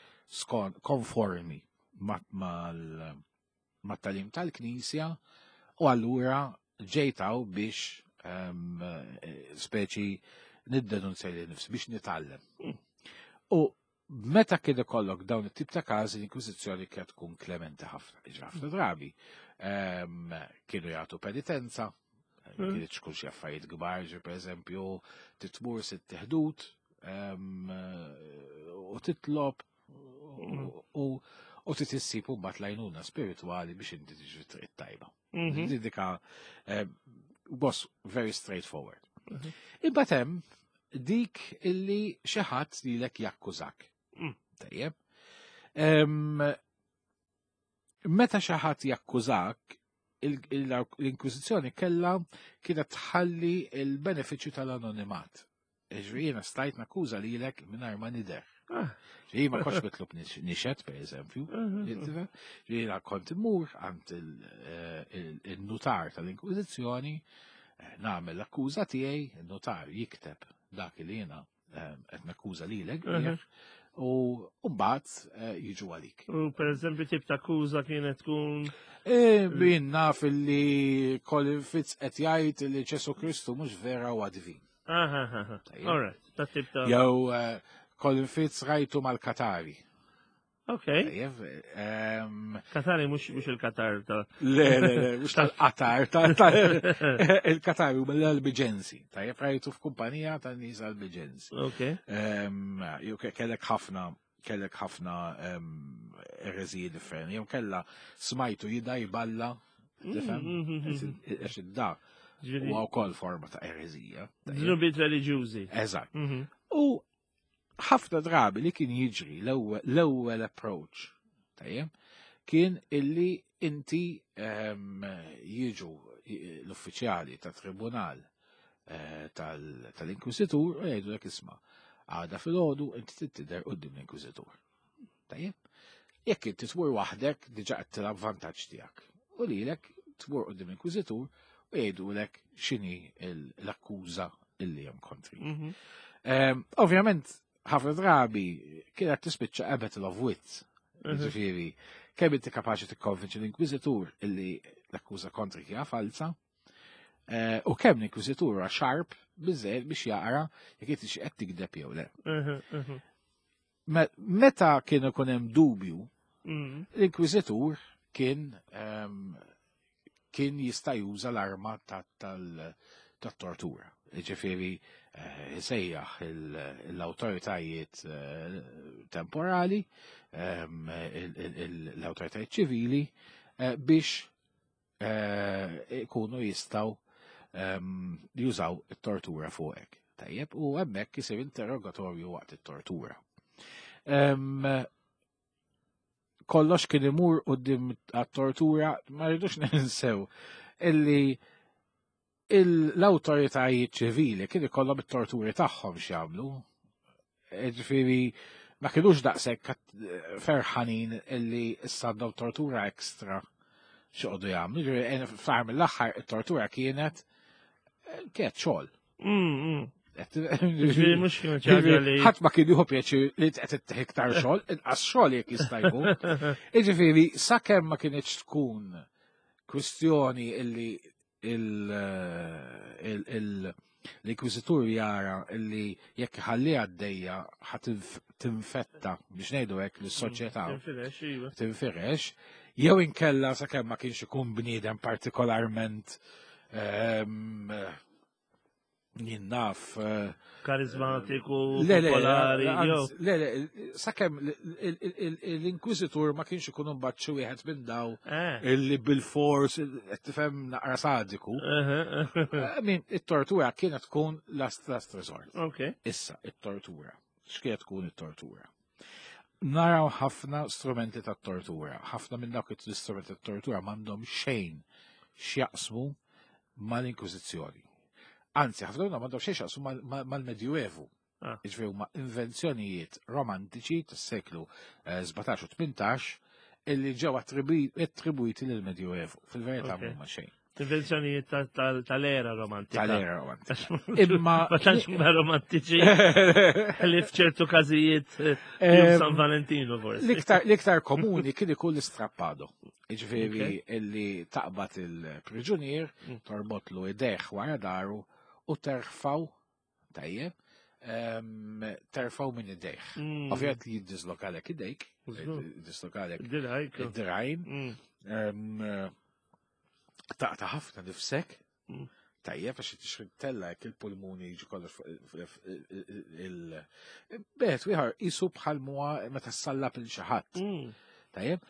konformi mat-tagħlim tal-Knisja u allura ġejt hawn biex speċi niddenunzja lili nnifsi biex nitgħallem. U meta kien ikollok dawn it-tip ta' każi l-Inkwiżizzjoni kienet tkun klementi ħafna. Iġri ħafna drabi kienu jagħtu penitenza, kienet tkun xi affarijiet kbar, ġi pereżempju titmur sitt ħdud u titlob u trid issib mbagħad l-għajnuna spiritwali biex inti tiġi triq tajba. Dika was very straightforward. Imbagħad hemm dik illi xi ħadd lilek jakkużak. Tajjeb. Meta xi ħadd jakkużak, l-Inkwiżizzjoni kellha kienet tħalli il-benefiċċju tal-anonimat. Ġifieri jiena stajt nakkuża lilek mingħajr ma nidher. Ġifieri ma kontx mitlub nixhed, per eżempju. Ġifieri jiena kont immur għand il-nutar tal-Inkwiżizzjoni, nagħmel l-akkuża tiegħi, il-nutar jikteb dak li jiena qed nakkuża lilek bih, u mbagħad jiġu għalik. U per eżempju tip ta' akkuża kienet tkun Min naf li Colin Fitz qed jgħid li Ġesu Kristu mhux vera huwa divin. Tajjeb. All right, ta' tip ta' Jew Colin Fitz rajtu mal-Katari. Ok. Tajjeb, Katari mhux il-Katar ta' Le, le, le, mhux tal-Qatar, il-Katari huma l-Albigensi. Tajjeb, rajtu f'kumpanija ta' nies Albigensi. Ok. Jew kellek ħafna, kellek ħafna ereżiji differenti. Jew kella smajtu jida jballa, tifhem? Għax id-da huwa wkoll forma ta' ereżija. Tajjeb. Dnubiet reliġjużi. Eżatt. U ħafna drabi li kien jiġri l-ewwel approach, tajjeb, kien illi inti jiġu l-uffiċjali ta' tribunal tal-Inkwiżitur u jgħidu lek isma' għada filgħodu inti trid tidher quddiem l-Inkwiżitur. Tajjeb? Jekk inti tmur waħdek diġà qed tilgħab vantaġġ tiegħek. U lilek tmur quddiem l-Inkwiżitur u jgħidulek x'inhi l-akkuża illi hemm kontri. Ovvjament, ħafna drabi kienet tispiċċa a battle of wits. Ġifieri, kemm inti kapaċi tikkonvinċi l-Inkwiżitur illi l-akkuża kontri hija falsa, u kemm l-Inkwiżitur huwa sharp biżżejjed biex jaqra jekk inti xi qed tikdeb jew le. Meta kien ikun hemm dubju, l-Inkwiżitur kien jista' juża l-arma tat-tortura. Ġifieri isejjaħ l-awtoritajiet temporali, l-awtoritajiet ċivili biex ikunu jistgħu jużaw it-tortura fuqek. Tajjeb, u hemmhekk isir interrogatorju waqt it-tortura. Kollox kien imur quddiem għat-tortura, ma rridux ninsew illi l-awtoritajiet ċivili kien ikollhom it-torturi tagħhom x'jagħmlu. Ġifieri ma kinux daqshekk ferħanin illi issa għandhom tortura ekstra x'joqogħdu jagħmlu. Ġifieri, fl-aħħar mill-aħħar it-tortura kienet xogħol. Ġifieri mhux kienet xi ħaġa li Ħadd ma kien jieħu pjaċir li qed ittieħ iktar xogħol, inqas xogħol jekk jista' jkun. Jiġifieri sakemm ma kienx tkun kwistjoni illi L-inkwiżitur jara li jekk ħalli għaddejja ħa tinfetta biex ngħidu hekk lis-soċjetà. Tinfirex, iva. Tinfirex, jew inkella sakemm ma kienx ikun bniedem partikolarment jien naf. Karizmatiku, popolari. Le, le, sakemm l-inkwiżitur ma kienx ikun imbagħad xi wieħed minn daw illi bil-fors qed tifhem naqra sadiku. Min it-tortura kienet tkun last last resort. Issa it-tortura. X'kienet tkun it-tortura? Naraw ħafna strumenti ta' tortura, ħafna minn dawk l-istrumenti ta' tortura m'għandhom xejn x'jaqsmu mal-Inkwiżizzjoni. Anzi, ħafna minnhom m'għandhom xejn x'jaqsmu mal-Medjuevu. Jiġifieri huma invenzjonijiet romantiċi tas-seklu 17 u 18 illi ġew attribwiti lill-Medjuevu. Fil-verità m'huma xejn. Invenzjonijiet tal-era romantika. Tal-era romantika. Imma. Ma tantx huma romantiċi li f'ċertu każijiet San Valentino forsi. L-iktar komuni kien ikun l-istrappado. Jiġifieri illi taqbad il-priġunier, torbotlu idejh wara daru u terfaw tajjeb, terfaw minn idejh. Ovvjament li jiddislokalek idejk, jiddislokalek id-dirajn, taqta' ħafna nifsek, tajjeb għax tixrid tella jekk il-pulmuni jiġi kollox fuq il-bet wieħor isu bħal muha meta sallab il xi ħadd. Tajjeb.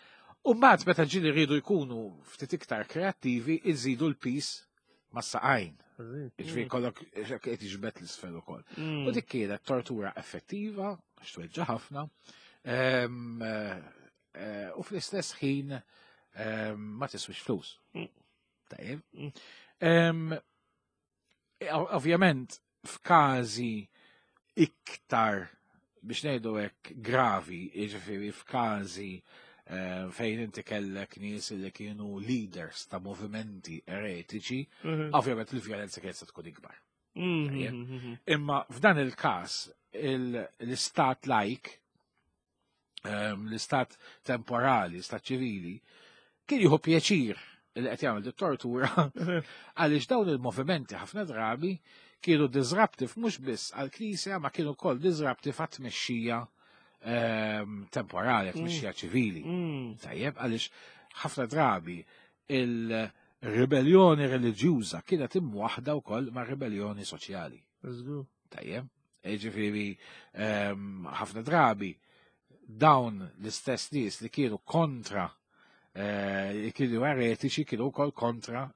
U mbagħad meta ġieli rridu jkunu ftit iktar kreattivi, iżidu l-pis mas-saqajn. Jiġifieri kollok qed jiġbed l-isfel ukoll. U dik kienet tortura effettiva, għax tweġġa' ħafna. U fl-istess ħin ma tiswix flus. Tajjeb. Ovvjament, f'każi iktar biex ngħidu hekk gravi, jiġifieri f'każi fejn inti kellek nies li kienu leaders ta' movimenti eretiċi, ovvjament il-vjolenza kienet se tkun ikbar. Imma f'dan il-każ l-istat laik, l-istat temporali, l-istat ċivili, kien jieħu pjaċir li qed jagħmel dit-tortura għaliex dawn il-movimenti ħafna drabi kienu disruptive mhux biss għall-Knisja ma kienu wkoll disruptive għat-tmexxija temporali, għat-tmexxija ċivili. Tajjeb, għaliex ħafna drabi il-ribellioni reliġjuża kienet imwaħda wkoll ma' ribellioni soċjali. Tajjeb, jiġifieri ħafna drabi dawn l-istess nies li kienu kontra li kienu eretiċi kienu wkoll kontra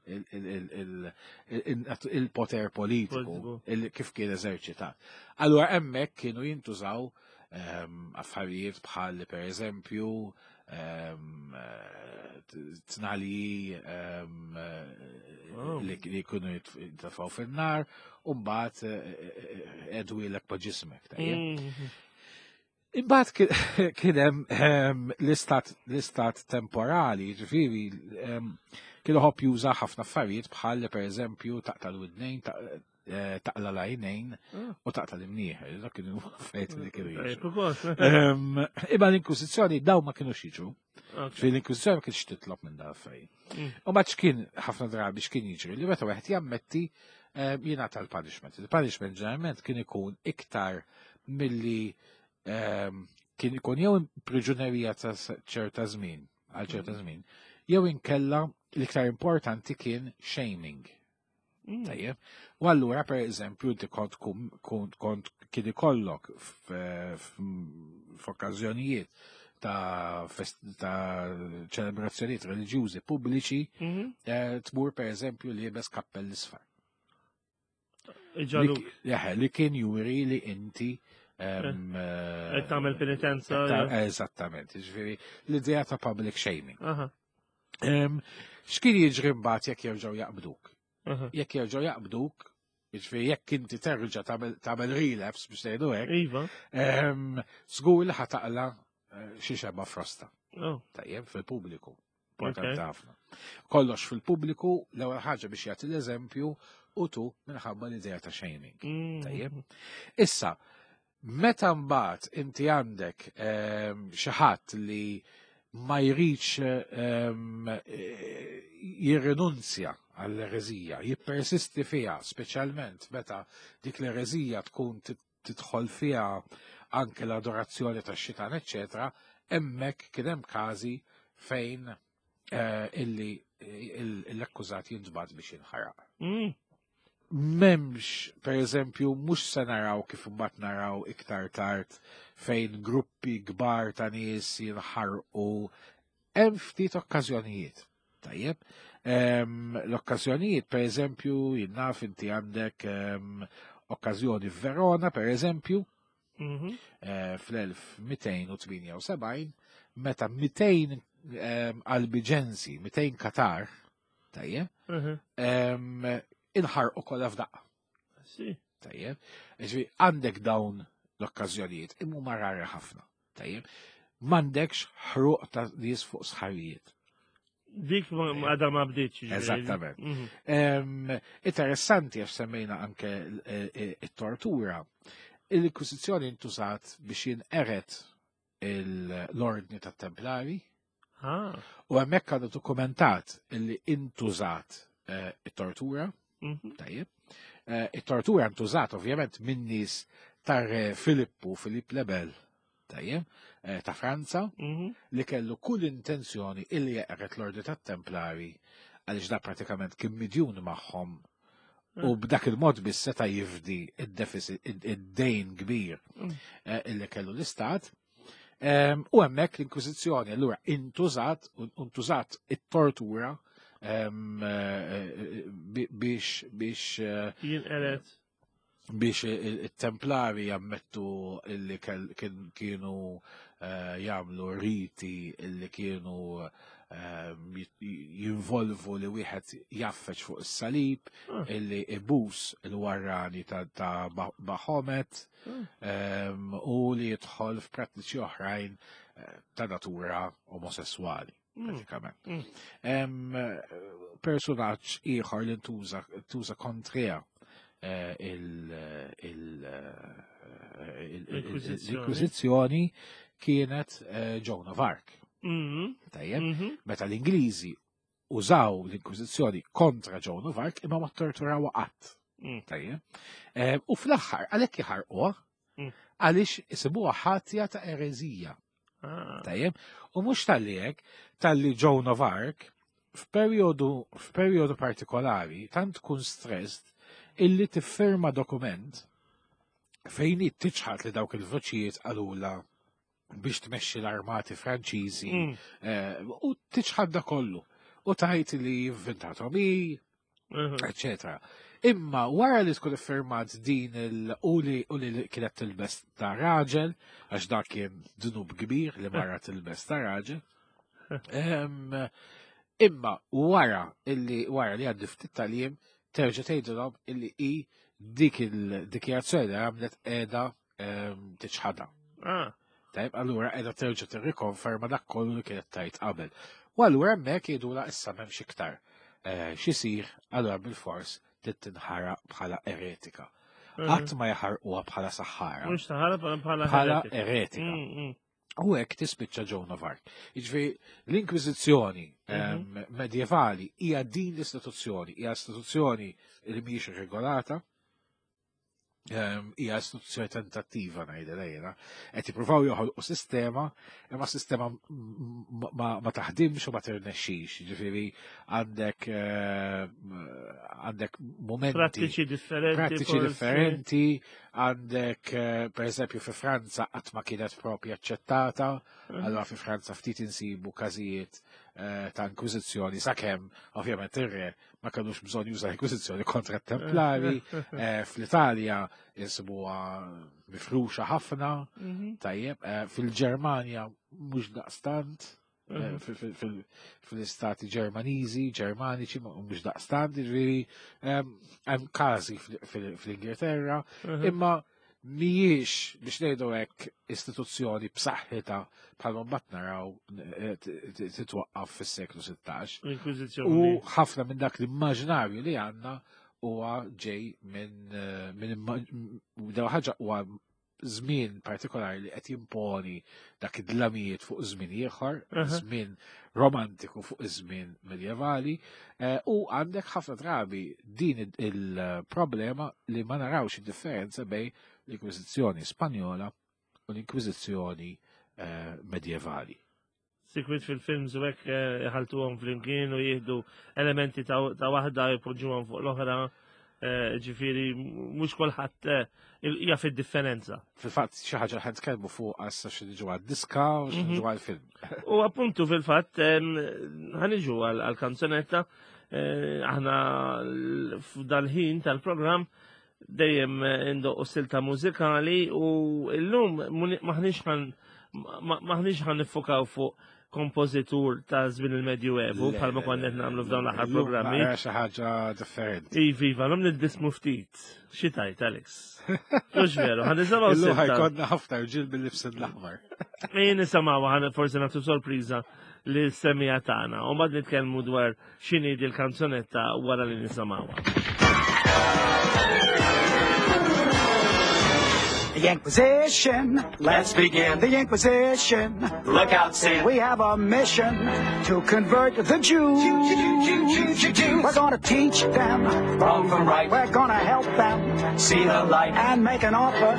il-poter politiku kif kien eżerċitat. Allura hemmhekk kienu jintużaw affarijiet bħal per eżempju tnali li jkunu jitfaw fin-nar u mbagħad edwilek pa' ġismek. Imbagħad kien hemm l-istat temporali, jiġifieri kien iħobb juża ħafna affarijiet bħal pereżempju taqta' l-widnejn, taqla l-għajnejn u taqta' l-imnieħer, dak kienu affarijiet li kienu jiġu. Imma l-Inkwiżizzjoni daw ma kinux jiġu. Fil-Inkwiżizzjoni ma kienx titlob minn dawn affarijiet. U mbagħad x'kien ħafna drabi x'kien jiġri li meta wieħed jammetti jingħata l-punishment. Il-punishment ġeneralment kien ikun iktar milli kien ikun jew priġunerija ta' ċerta żmien, għal ċerta żmien, jew inkella l-iktar importanti kien shaming. Tajjeb. U allura per eżempju inti kont kont kien ikollok f'okkażjonijiet ta' ċelebrazzjonijiet reliġjużi pubbliċi tmur per eżempju liebes kappell isfar. Iġaluk. Li kien juri li inti Qed tagħmel penitenza. Eżattament, jiġifieri l-idea ta' public shaming. X'kien jiġri mbagħad jekk jerġgħu jaqbduk? Jekk jerġgħu jaqbduk, jiġifieri jekk inti terġa' tagħmel relapse biex ngħidu hekk, żgur li ħataqla xi xebgħa frosta. Tajjeb fil-pubbliku. Importanti ħafna. Kollox fil-pubbliku, l-ewwel ħaġa biex jagħti l-eżempju u tu minħabba l-idea ta' shaming. Tajjeb. Issa, meta mbagħad inti għandek xi ħadd li ma jridx jirrinunzja għall-ereżija, jippersisti fiha, speċjalment meta dik l-ereżija tkun tidħol fiha anke l-adorazzjoni tax-xitan, eċċetera, hemmhekk kien hemm każi fejn eh, illi l-akkużat jintbagħat biex jinħaraq. Memx, per eżempju, mhux se naraw kif imbagħad naraw iktar tard fejn gruppi kbar ta' nies jinħarqu hemm ftit okkażjonijiet. Tajjeb. L-okkażjonijiet, per eżempju, jinnaf inti għandek okkażjoni f'Verona, per eżempju, mm -hmm. fl-1278, meta 200 albiġensi, 200 Katar, tajjeb, mhm. inħarqu kollha f'daqqa. Tajjeb, ġifieri għandek dawn l-okkażjonijiet imma huma rari ħafna. Tajjeb, m'għandekx ħruq ta' nies fuq sħarijiet. Dik għadha ma bdietx. Eżattament. Mhm. Interessanti għax semmejna anke eh, eh, it-tortura. Il-Inkwisizzjoni intużat biex jinqeret l-ordni tat templari Ah. U hemmhekk għandu dokumentat li intużat eh, it-tortura. Mhm. Tajjeb. Eh, it-tortura ntużat ovvjament minn nies tar Filippu, Filipp Lebel, tajjeb, eh, ta' Franza, mhm. li kellu kull intenzjoni illi jeqret l-ordi tat-Templari għaliex da pratikament kien midjun magħhom u mm. b'dak il-mod biss seta' jifdi id-deficit, id-dejn kbir mm. eh, illi kellu l-istat. Ehm, u hemmhekk l-Inkwiżizzjoni allura intużat, intużat it-tortura ehm, eh, biex biex eh, jinqeret biex it-templari jammettu illi kienu eh, jagħmlu riti illi kienu eh, jinvolvu li wieħed jaffeċ fuq is-salib, ah. illi ibus il-warrani ta' Bahomet ah. ehm, u li jidħol f'prattiċi oħrajn eh, ta' natura omosessuali. Mm. Pratikament. Mm. Personaġġ ieħor li ntuża kontrija eh, l-Inkwiżizzjoni kienet eh, Joan of Arc. Mm-hmm. Tajjeb, mm-hmm. meta l-Ingliżi użaw l-Inkwiżizzjoni kontra Joan of Arc imma ma torturaw qatt. Tajjeb. Eh, u fl-aħħar għalhekk iħarquha għaliex isibuha ħatja ta' ereżija. Ah. Tajjeb, u mhux tal-li hekk, tal-li Joan of Arc f'perjodu f'perjodu partikolari tant tkun stressed illi tiffirma dokument fejn hi tiċħad li dawk il-voċijiet qalula biex tmexxi l-armati Franċiżi mm. eh, u tiċħad da kollu u tajt li inventatom hi, eccetera. Imma wara li tkun iffirmat din il u li u li kienet tilbes ta' raġel, għax dak kien dnub kbir li mara tilbes ta' raġel. Imma wara illi wara li għaddi ftit tal-jiem terġa' tgħidilhom illi hi dik il-dikjarazzjoni li għamlet qiegħda tiċħadha. Ah. Tajb, allura qiegħda terġa' tirrikonferma dak kollu li kienet tajt qabel. U allura hemmhekk jgħidulha issa m'hemmx iktar eh, x'isir, allura bil-fors trid tinħaraq bħala eretika. Mhm. Qatt ma jaħarquha bħala saħħara. Mhux saħħara bħala bħala eretika. Mm, mm. U hekk tispiċċa Joan of Arc. Jiġifieri l-Inkwiżizzjoni mhm. medjevali hija din l-istituzzjoni, hija istituzzjoni li mhijiex regolata, Ehm, hija istituzzjoni tentattiva ngħidilha jiena, qed jippruvaw joħolqu sistema, imma sistema ma taħdimx u ma tirnexxix, ġifieri għandek ehm, għandek momenti prattiċi differenti, prattiċi differenti, għandek eh, per eżempju fi Franza qatt ma kienet propja aċċettata, mhm. allura fi Franza ftit insibu każijiet eh, ta' inkwiżizzjoni sakemm ovvjament ir-re ma kellux bżonn juża l-Inkwiżizzjoni kontra t-Templari, eh, fl-Italja insibuha mifruxa ħafna, mhm. tajjeb, eh, fil-Ġermanja mhux daqstant, eh, mhm. fil-istati Ġermaniżi, Ġermaniċi, mhux daqstant, ġifieri hemm każi fl-Ingilterra, mhm. imma mhijiex biex ngħidu hekk istituzzjoni b'saħħitha bħalma mbagħad naraw eh, titwaqqaf fis-seklu 16. L-Inkwiżizzjoni. U ħafna minn dak l-immaġinarju li għandna huwa ġej minn eh, minn ħaġa huwa żmien partikolari li qed jimponi dak id-dlamijiet fuq żmien ieħor, żmien romantiku fuq iż-żmien medjevali, eh, u għandek ħafna drabi din il-problema li ma narawx id-differenza bej l-Inkwiżizzjoni Spanjola u l-Inkwiżizzjoni eh, medjevali. Sikwit fil-films u hekk eh, iħaltuhom flimkien u jieħdu elementi ta' waħda jpoġġuhom fuq l-oħra. Eh, ġifieri mhux kulħadd eh, jaf id-differenza. Fil-fatt xi ħaġa ħan tkellmu fuq għassa xi niġu għad-diska u xi mhm. niġu għall-film. U appuntu fil-fatt ħaniġu għall-kanzunetta aħna f'dal-ħin tal-programm dejjem indoqqu silta mużikali u llum maħniex ħan maħniex ħan nifukaw fuq kompożitur ta' żmien il-Medju Evu bħalma konna qed nagħmlu f'dawn l-aħħar programmi. Xi ħaġa differenti. Iva, iva, l nitbismu ftit. Xi tajt, Alex? Mhux veru, ħan nisimgħu Illum ħajkonna ħafna rġiel bil-libs l-aħmar. Ejn nisimgħu ħan forsi nagħtu sorpriża li semija tagħna u mbagħad nitkellmu dwar X'inhi dil-kanzunetta wara li nisimgħuha. The Inquisition, let's begin the Inquisition. Look out, Sam. We have a mission to convert the Jews. Jew, Jew, Jew, Jew, Jew, Jews. We're gonna teach them wrong from right. We're gonna help them see the light and make an offer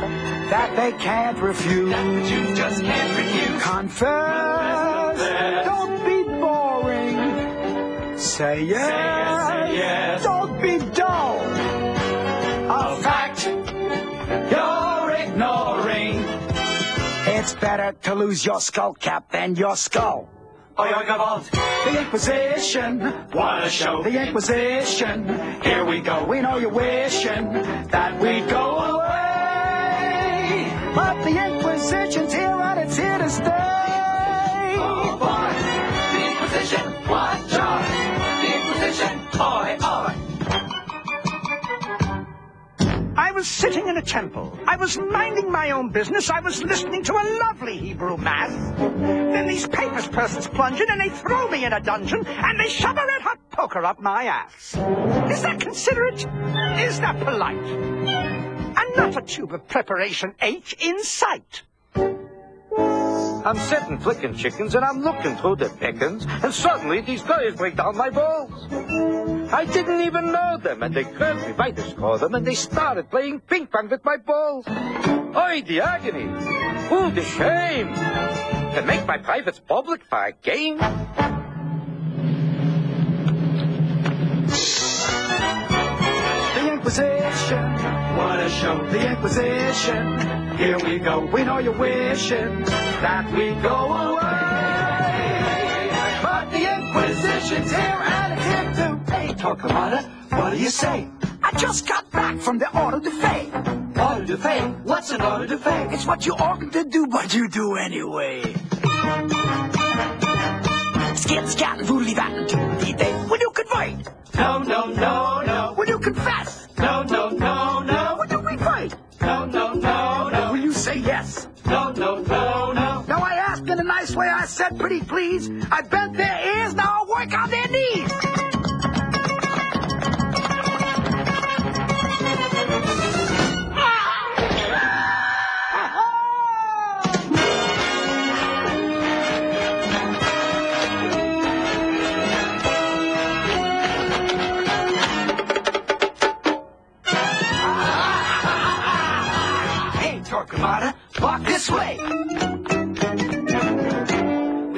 that they can't refuse. That the Jews just can't refuse. Confess. Confess. Don't be boring. Say yes. Say yes, say yes. Don't be dull. A fact you're ignoring. It's better to lose your skull cap than your skull. Oh, you're gewalt. The Inquisition. What a show. The Inquisition. Here we go. We know you're wishing that we'd go away. But the Inquisition's here and it's here to stay. Oh, boy. The Inquisition. What joy. The Inquisition. Oi, oi. I was sitting in a temple. I was minding my own business. I was listening to a lovely Hebrew mass. Then these papist persons plunge in and they throw me in a dungeon and they shove a red hot poker up my ass. Is that considerate? Is that polite? And not a tube of preparation H in sight. I'm sitting flicking chickens and I'm looking through the pickings, and suddenly these guys break down my balls. I didn't even know them, and they grabbed me by the scrotum and they started playing ping pong with my balls. Oi, the agony! Ooh, the shame! To make my privates public for a game? The Inquisition. What a show. The Inquisition. Here we go. We know you're wishing that we go away. But the Inquisition's here and it's here to pay. Torquemada, what do you say? I just got back from the auto de fe. Auto de fe? What's an auto de fe? It's what you oughtn't to do, but you do anyway. Skit, scat, and voodly, vat, and toodly day. Will you convert? No, no, no, no. Will you confess? No, no, no, no. Will you revert? No, no, no, no. Will you say yes? No, no, no, no. Now I asked in a nice way. I said, pretty please. I bent their ears. Now I work on their knees. Hey, Torquemada, walk this way. We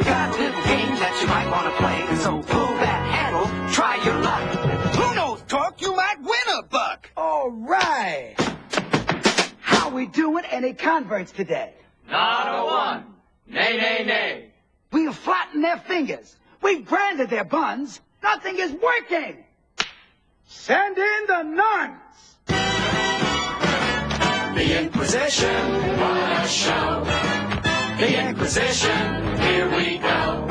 got a little game that you might want to play. So pull that handle, try your luck. Who knows, Torque? You might win a buck. All right. How we doing? Any converts today? Not a one. Nay, nay, nay. We've flattened their fingers. We've branded their buns. Nothing is working. Send in the nuns. The Inquisition, what a show. The Inquisition, here we go.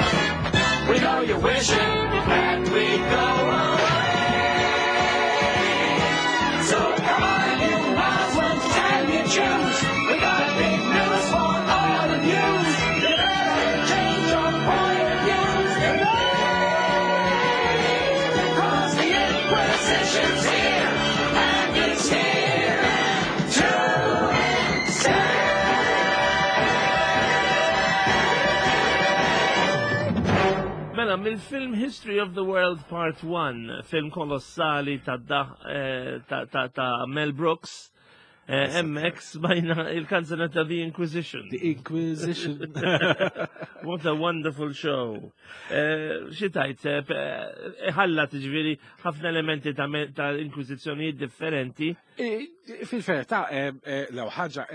We know you're wishing that we go away. So come on, you Muslims and you Jews. We got big news for all of you. You better change your point of view today. 'Cause the Inquisition's here, and it's here to stay. Mela, mill-film History of the World Part 1, film kolossali ta' eh, ta' Mel Brooks, eh, MX bajna il-kanzunetta The Inquisition. The Inquisition. What a wonderful show. Eh, xi tajt, ħalla tiġifieri ħafna elementi ta' inkwisizzjonijiet differenti. Fil-verità, l ħaġa,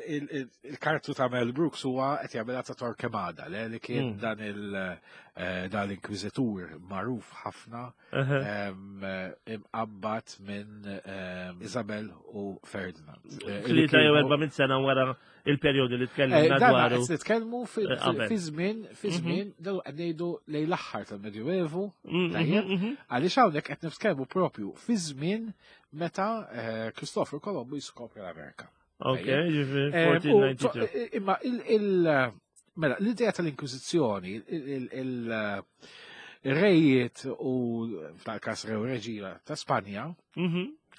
il-kartu ta' Mel Brooks huwa qed jagħmilha ta' Torquemada, li kien hmm. dan il eh, dan l-inkwiżitur magħruf ħafna imqabbad minn Isabel u Ferdinand. Eh, Tlieta jew erba' sena wara il-perjodu li tkellimna eh, dwaru. Qed nitkellmu fi żmien fi mhm. żmien daw qed ngħidu lejn l-aħħar tal-Medjuevu, mhm, tajjeb, mhm. għaliex hawnhekk qed nitkellmu propju fi żmien meta eh, Kristofru Kolombu jiskopri l-Amerika. Ok, ġifieri 1492. Eh, imma il mela l-idea tal-Inkwiżizzjoni, il-rejiet u f'dal-każ rew reġina ta' Spanja,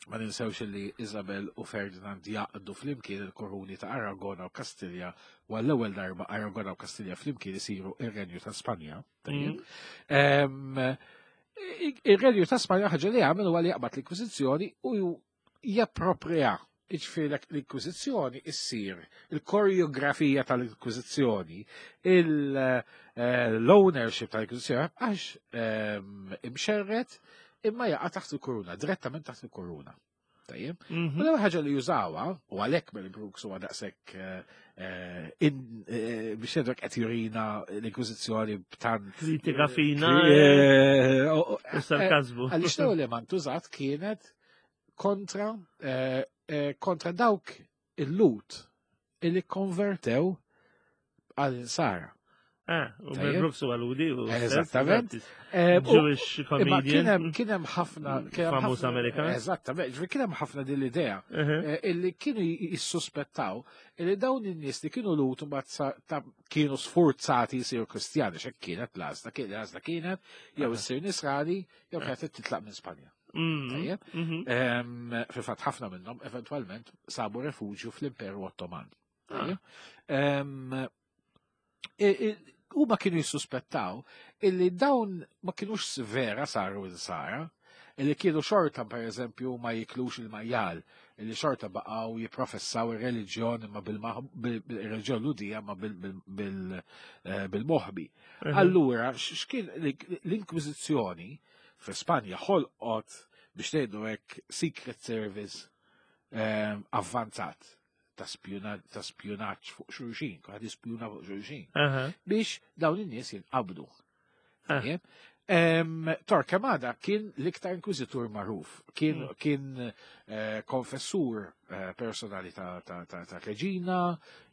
Ma ninsewx li Isabel u Ferdinand jaqdu flimkien il-koruni ta' Aragona u Kastilja u għall-ewwel darba Aragona u Kastilja flimkien isiru ir-Renju ta' Spanja. Mm. Ir-Renju ta' Spanja ħaġa li għamel huwa li jaqbad l-Inkwiżizzjoni u japproprija Iġifieri l-Inkwiżizzjoni issir il-koreografija tal-Inkwiżizzjoni, eh, l-ownership tal-Inkwiżizzjoni għax ehm, imxerret imma jaqa' taħt il-kuruna, direttament taħt il-kuruna. Tajjeb. Mhm. U l-ewwel ħaġa li jużawha, u għalhekk Mel Brooks huwa daqshekk eh, eh, biex jgħidlek qed jurina l-Inkwiżizzjoni b'tant. Kritika fina. U sarkazmu. Għaliex l-ewwel li ma ntużat kienet kontra eh, eh, kontra dawk il-lut illi konvertew għal insara. Ah, u Mel Brooks u għaludi. Eżattament. Eh, Jewish comedian. Kien hemm ħafna. Famuż Amerikan. Eżattament, ġifieri kien hemm ħafna din l-idea illi kienu jissuspettaw illi dawn in-nies li kienu lut mbagħad kienu sfurzati jsiru Kristjani, x'hekk kienet l-għażla, l-għażla kienet jew issir Nisrani jew kienet titlaq minn Spanja. Mm-hmm. Mm-hmm. Fil-fatt ħafna minnhom eventwalment sabu refuġju fl-Imperu Ottoman. Ah. Huma kienu jissuspettaw illi dawn ma kienux vera saru insara, illi kienu xorta per eżempju ma jiklux il-majjal, illi xorta baqgħu jipprofessaw ir-reliġjon imma bil-reliġjon ludija ma eh, bil-moħbi. Mhm. Allura, x'kien l-Inkwiżizzjoni fi Spanja ħolqot biex ngħidu hekk secret service ehm, avvanzat ta' spjunaġġ fuq xulxin, kulħadd jispjuna fuq xulxin, biex dawn in-nies jinqabdu. Ah. Torquemada kien l-iktar inkwizitur magħruf, kien, mm. kien eh, konfessur eh, personali ta', ta, ta, ta reġina,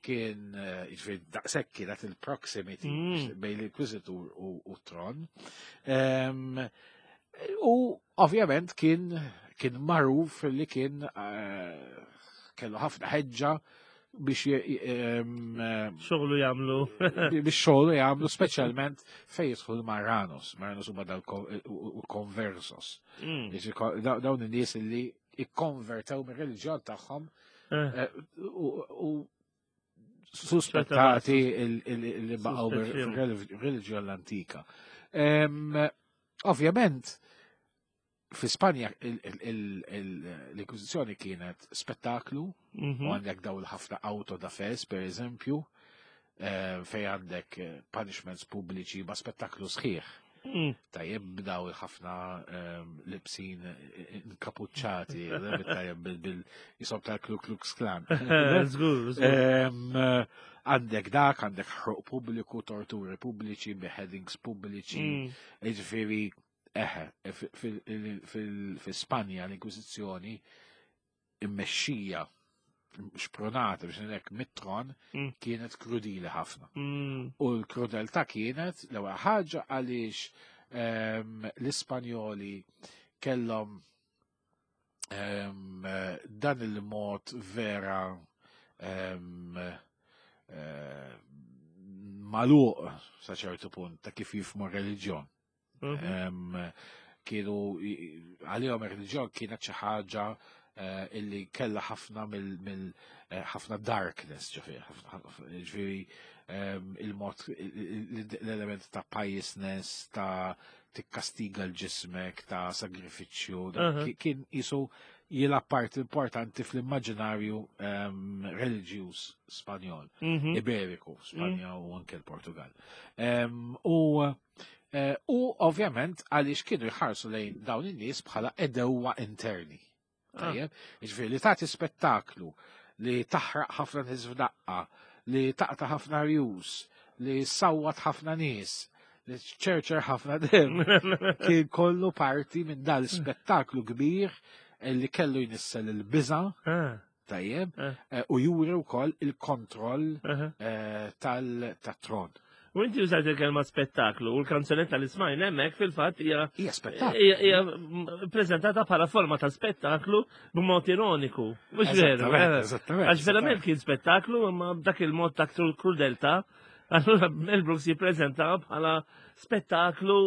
kien eh, jiġifieri daqshekk kienet il-proximity mm. bejn l-inkwizitur u, u tron. U ovvjament kien kien magħruf li kien kellu ħafna ħeġġa biex xogħlu jagħmlu biex xogħlu jagħmlu speċjalment fejn jidħlu l-Marranos, Marranos huma dal-conversos. Mm. Dawn in-nies li ikkonvertew mir-reliġjon tagħhom eh. Eh, u suspettati li baqgħu reliġjon l-antika. Ovvjament, fi Spanja l-Inkwisizzjoni kienet spettaklu, mhm. u għandek daw l-ħafna auto da fes, per eżempju, eh, fej għandek eh, punishments pubbliċi ma spettaklu sħiħ. Mm. Tajjeb b'daw ħafna ehm, libsin eh, inkapuċċati, tajjeb bil-jisob tal-Ku Klux Klan. Ehm, għandek dak, għandek ħruq pubbliku, torturi pubbliċi, beheadings pubbliċi, mm. ġifieri Eħe, fi Spanja l-Inkwiżizzjoni immexxija xpronata biex ngħidlek mit-tron mm. kienet krudili ħafna. Mm. U l-krudeltà kienet l-ewwel ħaġa għaliex ehm, l-Ispanjoli kellhom ehm, dan il-mod vera ehm, eh, maluq sa ċertu punt ta' kif jifmu reliġjon. Mhm. Kienu għalihom ir-reliġjon kienet xi ħaġa eh, illi kella ħafna mill eh, ħafna darkness ġifieri il-mod l-element ta' piousness, ta' tikkastiga l-ġismek, ta' sagrifiċċju, kien jisu jilgħab parti importanti fl-immaġinarju ehm, reliġjuż Spanjol, mhm. Iberiku, Spanja mhm. u anke l-Portugal. Ehm, u eh, u ovvjament għaliex kienu jħarsu lejn dawn in-nies bħala edewwa interni. Ah. Tajjeb, jiġifieri li tagħti spettaklu li taħraq ħafna nies f'daqqa, li taqta' ħafna rjus, li sawwat ħafna nies, li ċerċer ħafna dem, kien kollu parti minn dal spettaklu kbir li kellu jnissel il-biża, ah. tajjeb, eh. Eh, u juri wkoll il-kontroll eh, tal-tron. U inti użajt il-kelma spettaklu u l-kanzunetta li smajna hemmhekk fil-fatt hija hija spettaklu. Hija preżentata bħala forma ta' spettaklu b'mod ironiku. Mhux veru. Eżattament. Għax verament kien spettaklu imma b'dak il-mod ta' krudelta. Allura Mel Brooks jippreżenta bħala spettaklu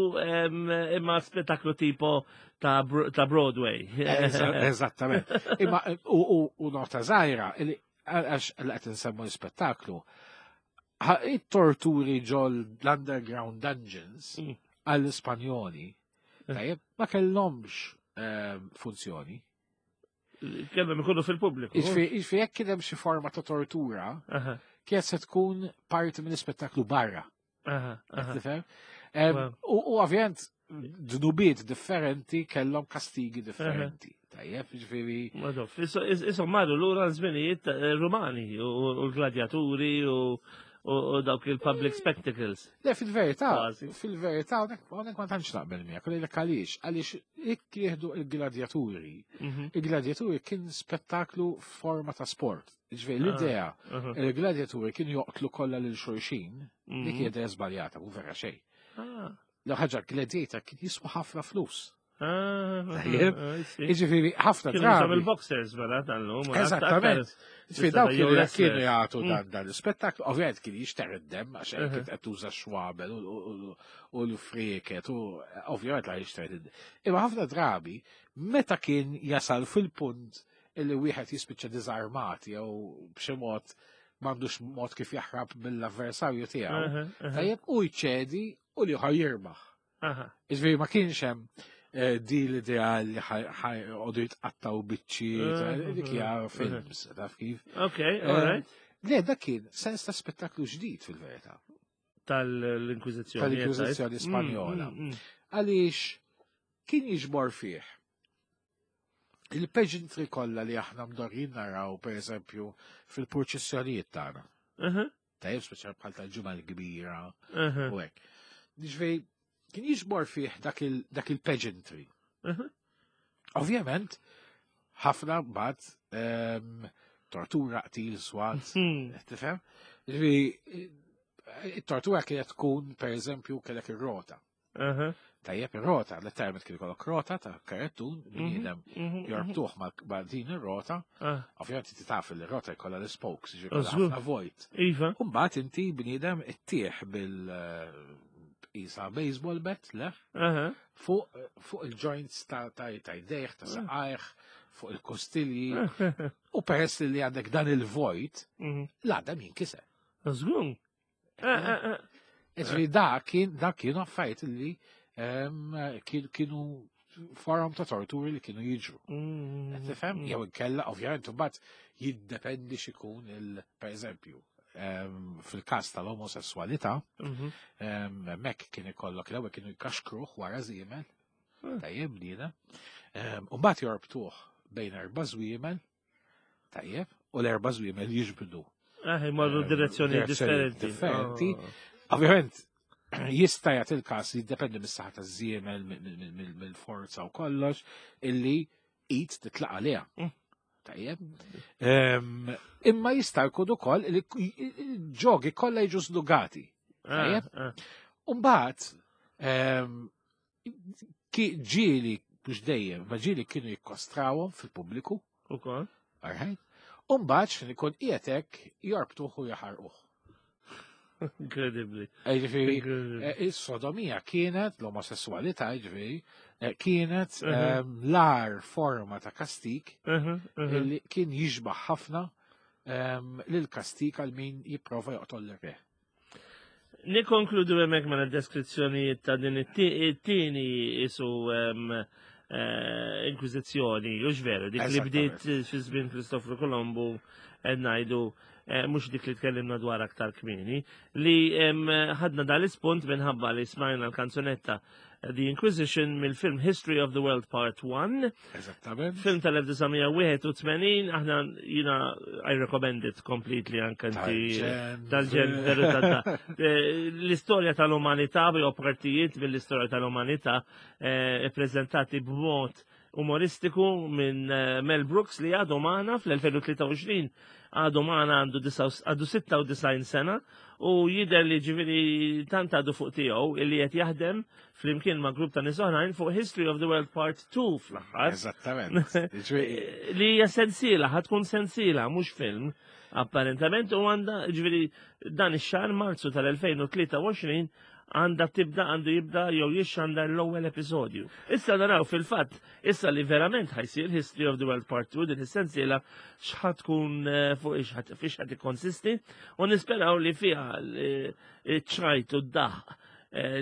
imma spettaklu tipo ta' Broadway. Eżattament. Imma u nota żgħira għax qed insemmu l-spettaklu it-torturi ġol l-underground dungeons mm. għall-Ispanjoli, eh. tajjeb, ma kellhomx ehm, funzjoni. Kellhom ikunu fil-pubbliku. Iġifieri jekk kien hemm xi forma ta' tortura, kienet se tkun parti mill-ispettaklu barra. Tifhem? U ovvjament dnubiet differenti kellhom kastigi differenti. Tajjeb, ġifieri. Madoff, isom marru lura żminijiet eh, Rumani u l-gladjaturi u dawk il-public spectacles. Le, fil-verità, fil-verità, hawnhekk ma tantx naqbel miegħek, u lejlek għaliex, għaliex jekk jieħdu il-gladjaturi, mhm. il-gladjaturi kien spettaklu forma ta' sport. Ġifieri l-idea ah, il-gladjaturi kienu joqtlu kollha lil xulxin, dik mhm. hija idea żbaljata, mhu vera xejn. Ah. L ħaġa gladiator kien jiswa ħafna flus. Ah, Jiġifieri ħafna drabi. il-boxers mela tal-lum. Eżattament. Ġifieri dawk kienu kienu jagħtu mm. dan dan l-ispettaklu, ovvjament kien jixter id-demm għax hekk kien qed tuża xwabel u l-frieket u ovvjament la jixter id-demm. Imma ħafna drabi meta kien jasal fil-punt illi wieħed jispiċċa diżarmat jew b'xi mod m'għandux mod kif jaħrab mill-avversarju tiegħu. Tajjeb u jċedi u li ieħor jirbaħ. Iġifieri ma kienx hemm eh, di l-idea li ħajqogħdu jitqattaw biċċi, dik hija films, taf kif. Ok, eh, all right. Le, dak kien sens ta' spettaklu ġdid fil-verità. Tal-Inkwiżizzjoni. Tal-Inkwiżizzjoni mm, Spanjola. Mm, mm. Għaliex kien jiġbor fih il-pageantry kollha li aħna mdorrin naraw pereżempju fil-purċissjonijiet tagħna. Tajjeb speċjal bħal tal-ġimgħa l-kbira u hekk. Ġifieri kien jiġbor fih dak il-pageantry. Ovvjament, ħafna mbagħad ehm, tortura, qtil, swat, hmm. tifhem? Ġifieri it-tortura kienet tkun pereżempju kellek ir-rota. Tajjeb ir-rota, letteralment kien ikollok rota ta' karettun, mhm, bniedem mhm, mhm. jorbtuh ma' din ir-rota. Ah. Ovvjament inti taf li r-rota jkollha l-spokes, ġifieri ħafna vojt. Iva. U mbagħad inti bniedem ittieħ bil eh, isa baseball bat, le? Fuq il-joints ta' jdejh, ta' ah. saqajh, fuq il-kostilji. U peress li għandek dan il-vojt, l-għadam jinkiser. Żgur. Ġifieri da kien da kienu affarijiet li ehm, kienu forum ta' torturi li kienu jiġru. Mm. Tifhem? Jew inkella ovvjament imbagħad jiddependi x'ikun il pereżempju ehm, fil-każ tal-omosessualità, mhm. ehm, mek kien ikollok l-ewwel kienu jkaxkruh wara żiemel, ah. tajjeb bniedem, u mbagħad jorbtuh bejn erba' żwiemel Tajjeb, u l-erba' żwiemel jiġbdu. Eh, imorru eh, direzzjoni differenti. Differenti. Oh. Ovvjament, jista' jagħti il-każ jiddependi mis-saħħa taż-żiemel, mill-forza u kollox, illi id titlaq għaliha. Mm. Tajjeb. Ehm, imma jista' jkun ukoll li ġogi kollha jiġu żlugati. Ah, Tajjeb. Ah. Umbagħad ehm, ġieli, mhux dejjem, ma ġieli kienu jikkostrawhom fil-pubbliku. Ukoll. Alright. U mbagħad x'in ikun qiegħed hekk jorbtuh u jaħarquh. Inkredibbli. Eh, ġifieri, eh, is-sodomija kienet, l-omosessualità, ġifieri, eh, kienet mhm. ehm, l-ar forma ta' kastik mhm, mhm. li kien jixbaħ ħafna ehm, lil kastik għal min jipprova joqtol l-re. Nikonkludu hemmhekk mela deskrizzjonijiet ta' din it-tieni isu eh, inkwiżizzjoni, u veru, dik li bdiet fi żmien Kristofru Kolombu qed ngħidu eh, mhux dik li tkellimna dwar aktar kmieni, li ħadna dal-ispunt minħabba li smajna l-kanzunetta The Inquisition mill-film History of the World Part 1. Eżattament. Film tal-1981, aħna jina I recommend it completely anke inti tal-ġen veru ta' eh, l-istorja tal-umanità jew partijiet mill-istorja tal-umanità eh, prezentati b'mod umoristiku minn eh, Mel Brooks li għadu magħna fl-2023 għadu magħna għandu 96 sena u jidher li ġifieri tant għadu fuq tiegħu illi qed jaħdem flimkien ma' grupp ta' nies oħrajn fuq History of the World Part 2 fl-aħħar. Eżattament. Li hija sensiela, ħad tkun sensiela, mhux film, apparentament u għandha ġifieri dan ix-xahar Marzu tal-2023 għandha tibda għandu jibda jew jixxandar l-ewwel episodju. Issa naraw fil-fatt, issa li verament ħajsir History of the World Part 2 din is-sensiela x'ħad tkun eh, fuq ix fiex ħad ikkonsisti u nisperaw li fiha eh, ċ-ċajt u d-daħq eh,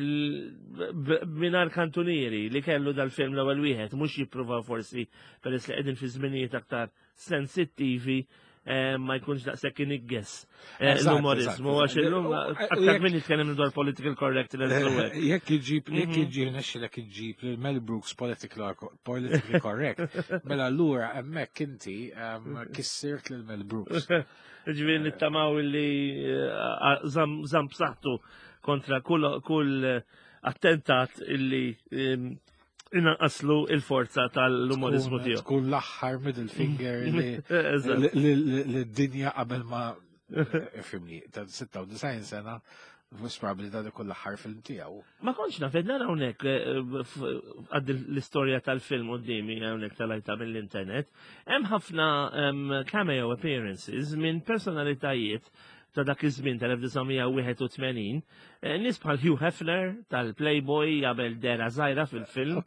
minar kantunieri li kellu dal-film l-ewwel wieħed mhux jippruvaw forsi peress li qegħdin fi żminijiet aktar sensittivi eh, ma jkunx daqshekk inigges eh, l-umorizmu għax illum aktar minn jitkellem dwar political correctness u hekk. Jekk iġib, jekk iġib nexxilek iġib lil Mel Brooks politically correct, mela allura hemmhekk inti kissirt lil Mel Brooks. Ġifieri nittamaw li eh, żamm b'saħħtu kontra kull attentat illi inaqqaslu il-forza tal-umorizmu tiegħu. Tkun l-aħħar middle finger li d-dinja qabel ma fimni, ta' 96 sena, mhux probabbli dan ikun l-aħħar film tiegħu. Ma kontx naf, nara hawnhekk eh, għad l-istorja tal-film qudiemi hawnhekk tal-ajta mill-internet, hemm ħafna cameo appearances minn personalitajiet ta' dak iż-żmien tal-1981, eh, nies bħal Hugh Hefner tal-Playboy jagħmel dera żgħira fil-film.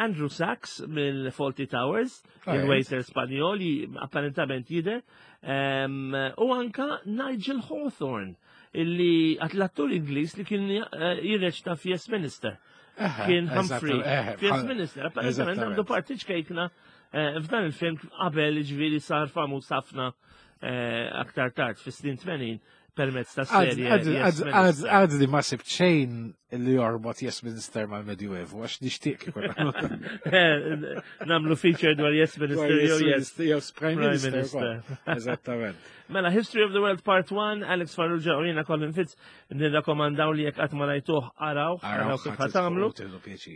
Andrew Sachs mill-Faulty Towers, il-waiter Spanjol, apparentament jidher, u anka Nigel Hawthorne, illi l-attur Ingliż li kien eh, jirreċta f'Yes Minister. Kien Humphrey. F'Yes Minister, apparentament għandu parti ċkejkna eh, f'dan il-film qabel ġviri sar famuż ħafna Eh, aktar tard fis-snin 80 permezz ta' serje. Għad li ma sibt xejn li jorbot Yes Minister mal-Medjuevu, għax nixtieq kieku eh, Namlu feature dwar Yes Minister jew Yes Yes Prime Minister. Eżattament. Mela History of the World Part 1, Alex Farrugia u jiena Colin Fitz nirrakkomandaw li jekk qatt ma rajtuh araw, araw kif ħa tagħmlu.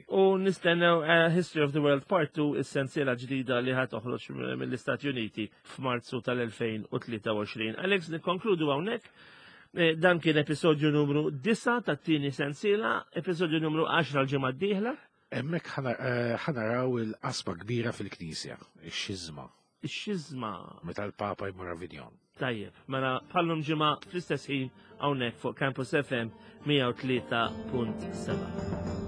U nistennew eh, History of the World Part 2 is-sensiela ġdida li ħa toħroġ mill-Istati Uniti f'Marzu tal-2023. Alex, nikkonkludu hawnhekk. Eh, dan kien episodju numru 9 tat-tieni sensiela, episodju numru 10 l-ġimgħa d-dieħla. Hemmhekk eh, ħanaraw il-qasba kbira fil-Knisja, ix-xiżma. Ix-xiżma. Meta l-Papa jmur Avignon. Tajjeb, mela bħallum ġimgħa fl-istess ħin hawnhekk fuq Campus FM 103.7.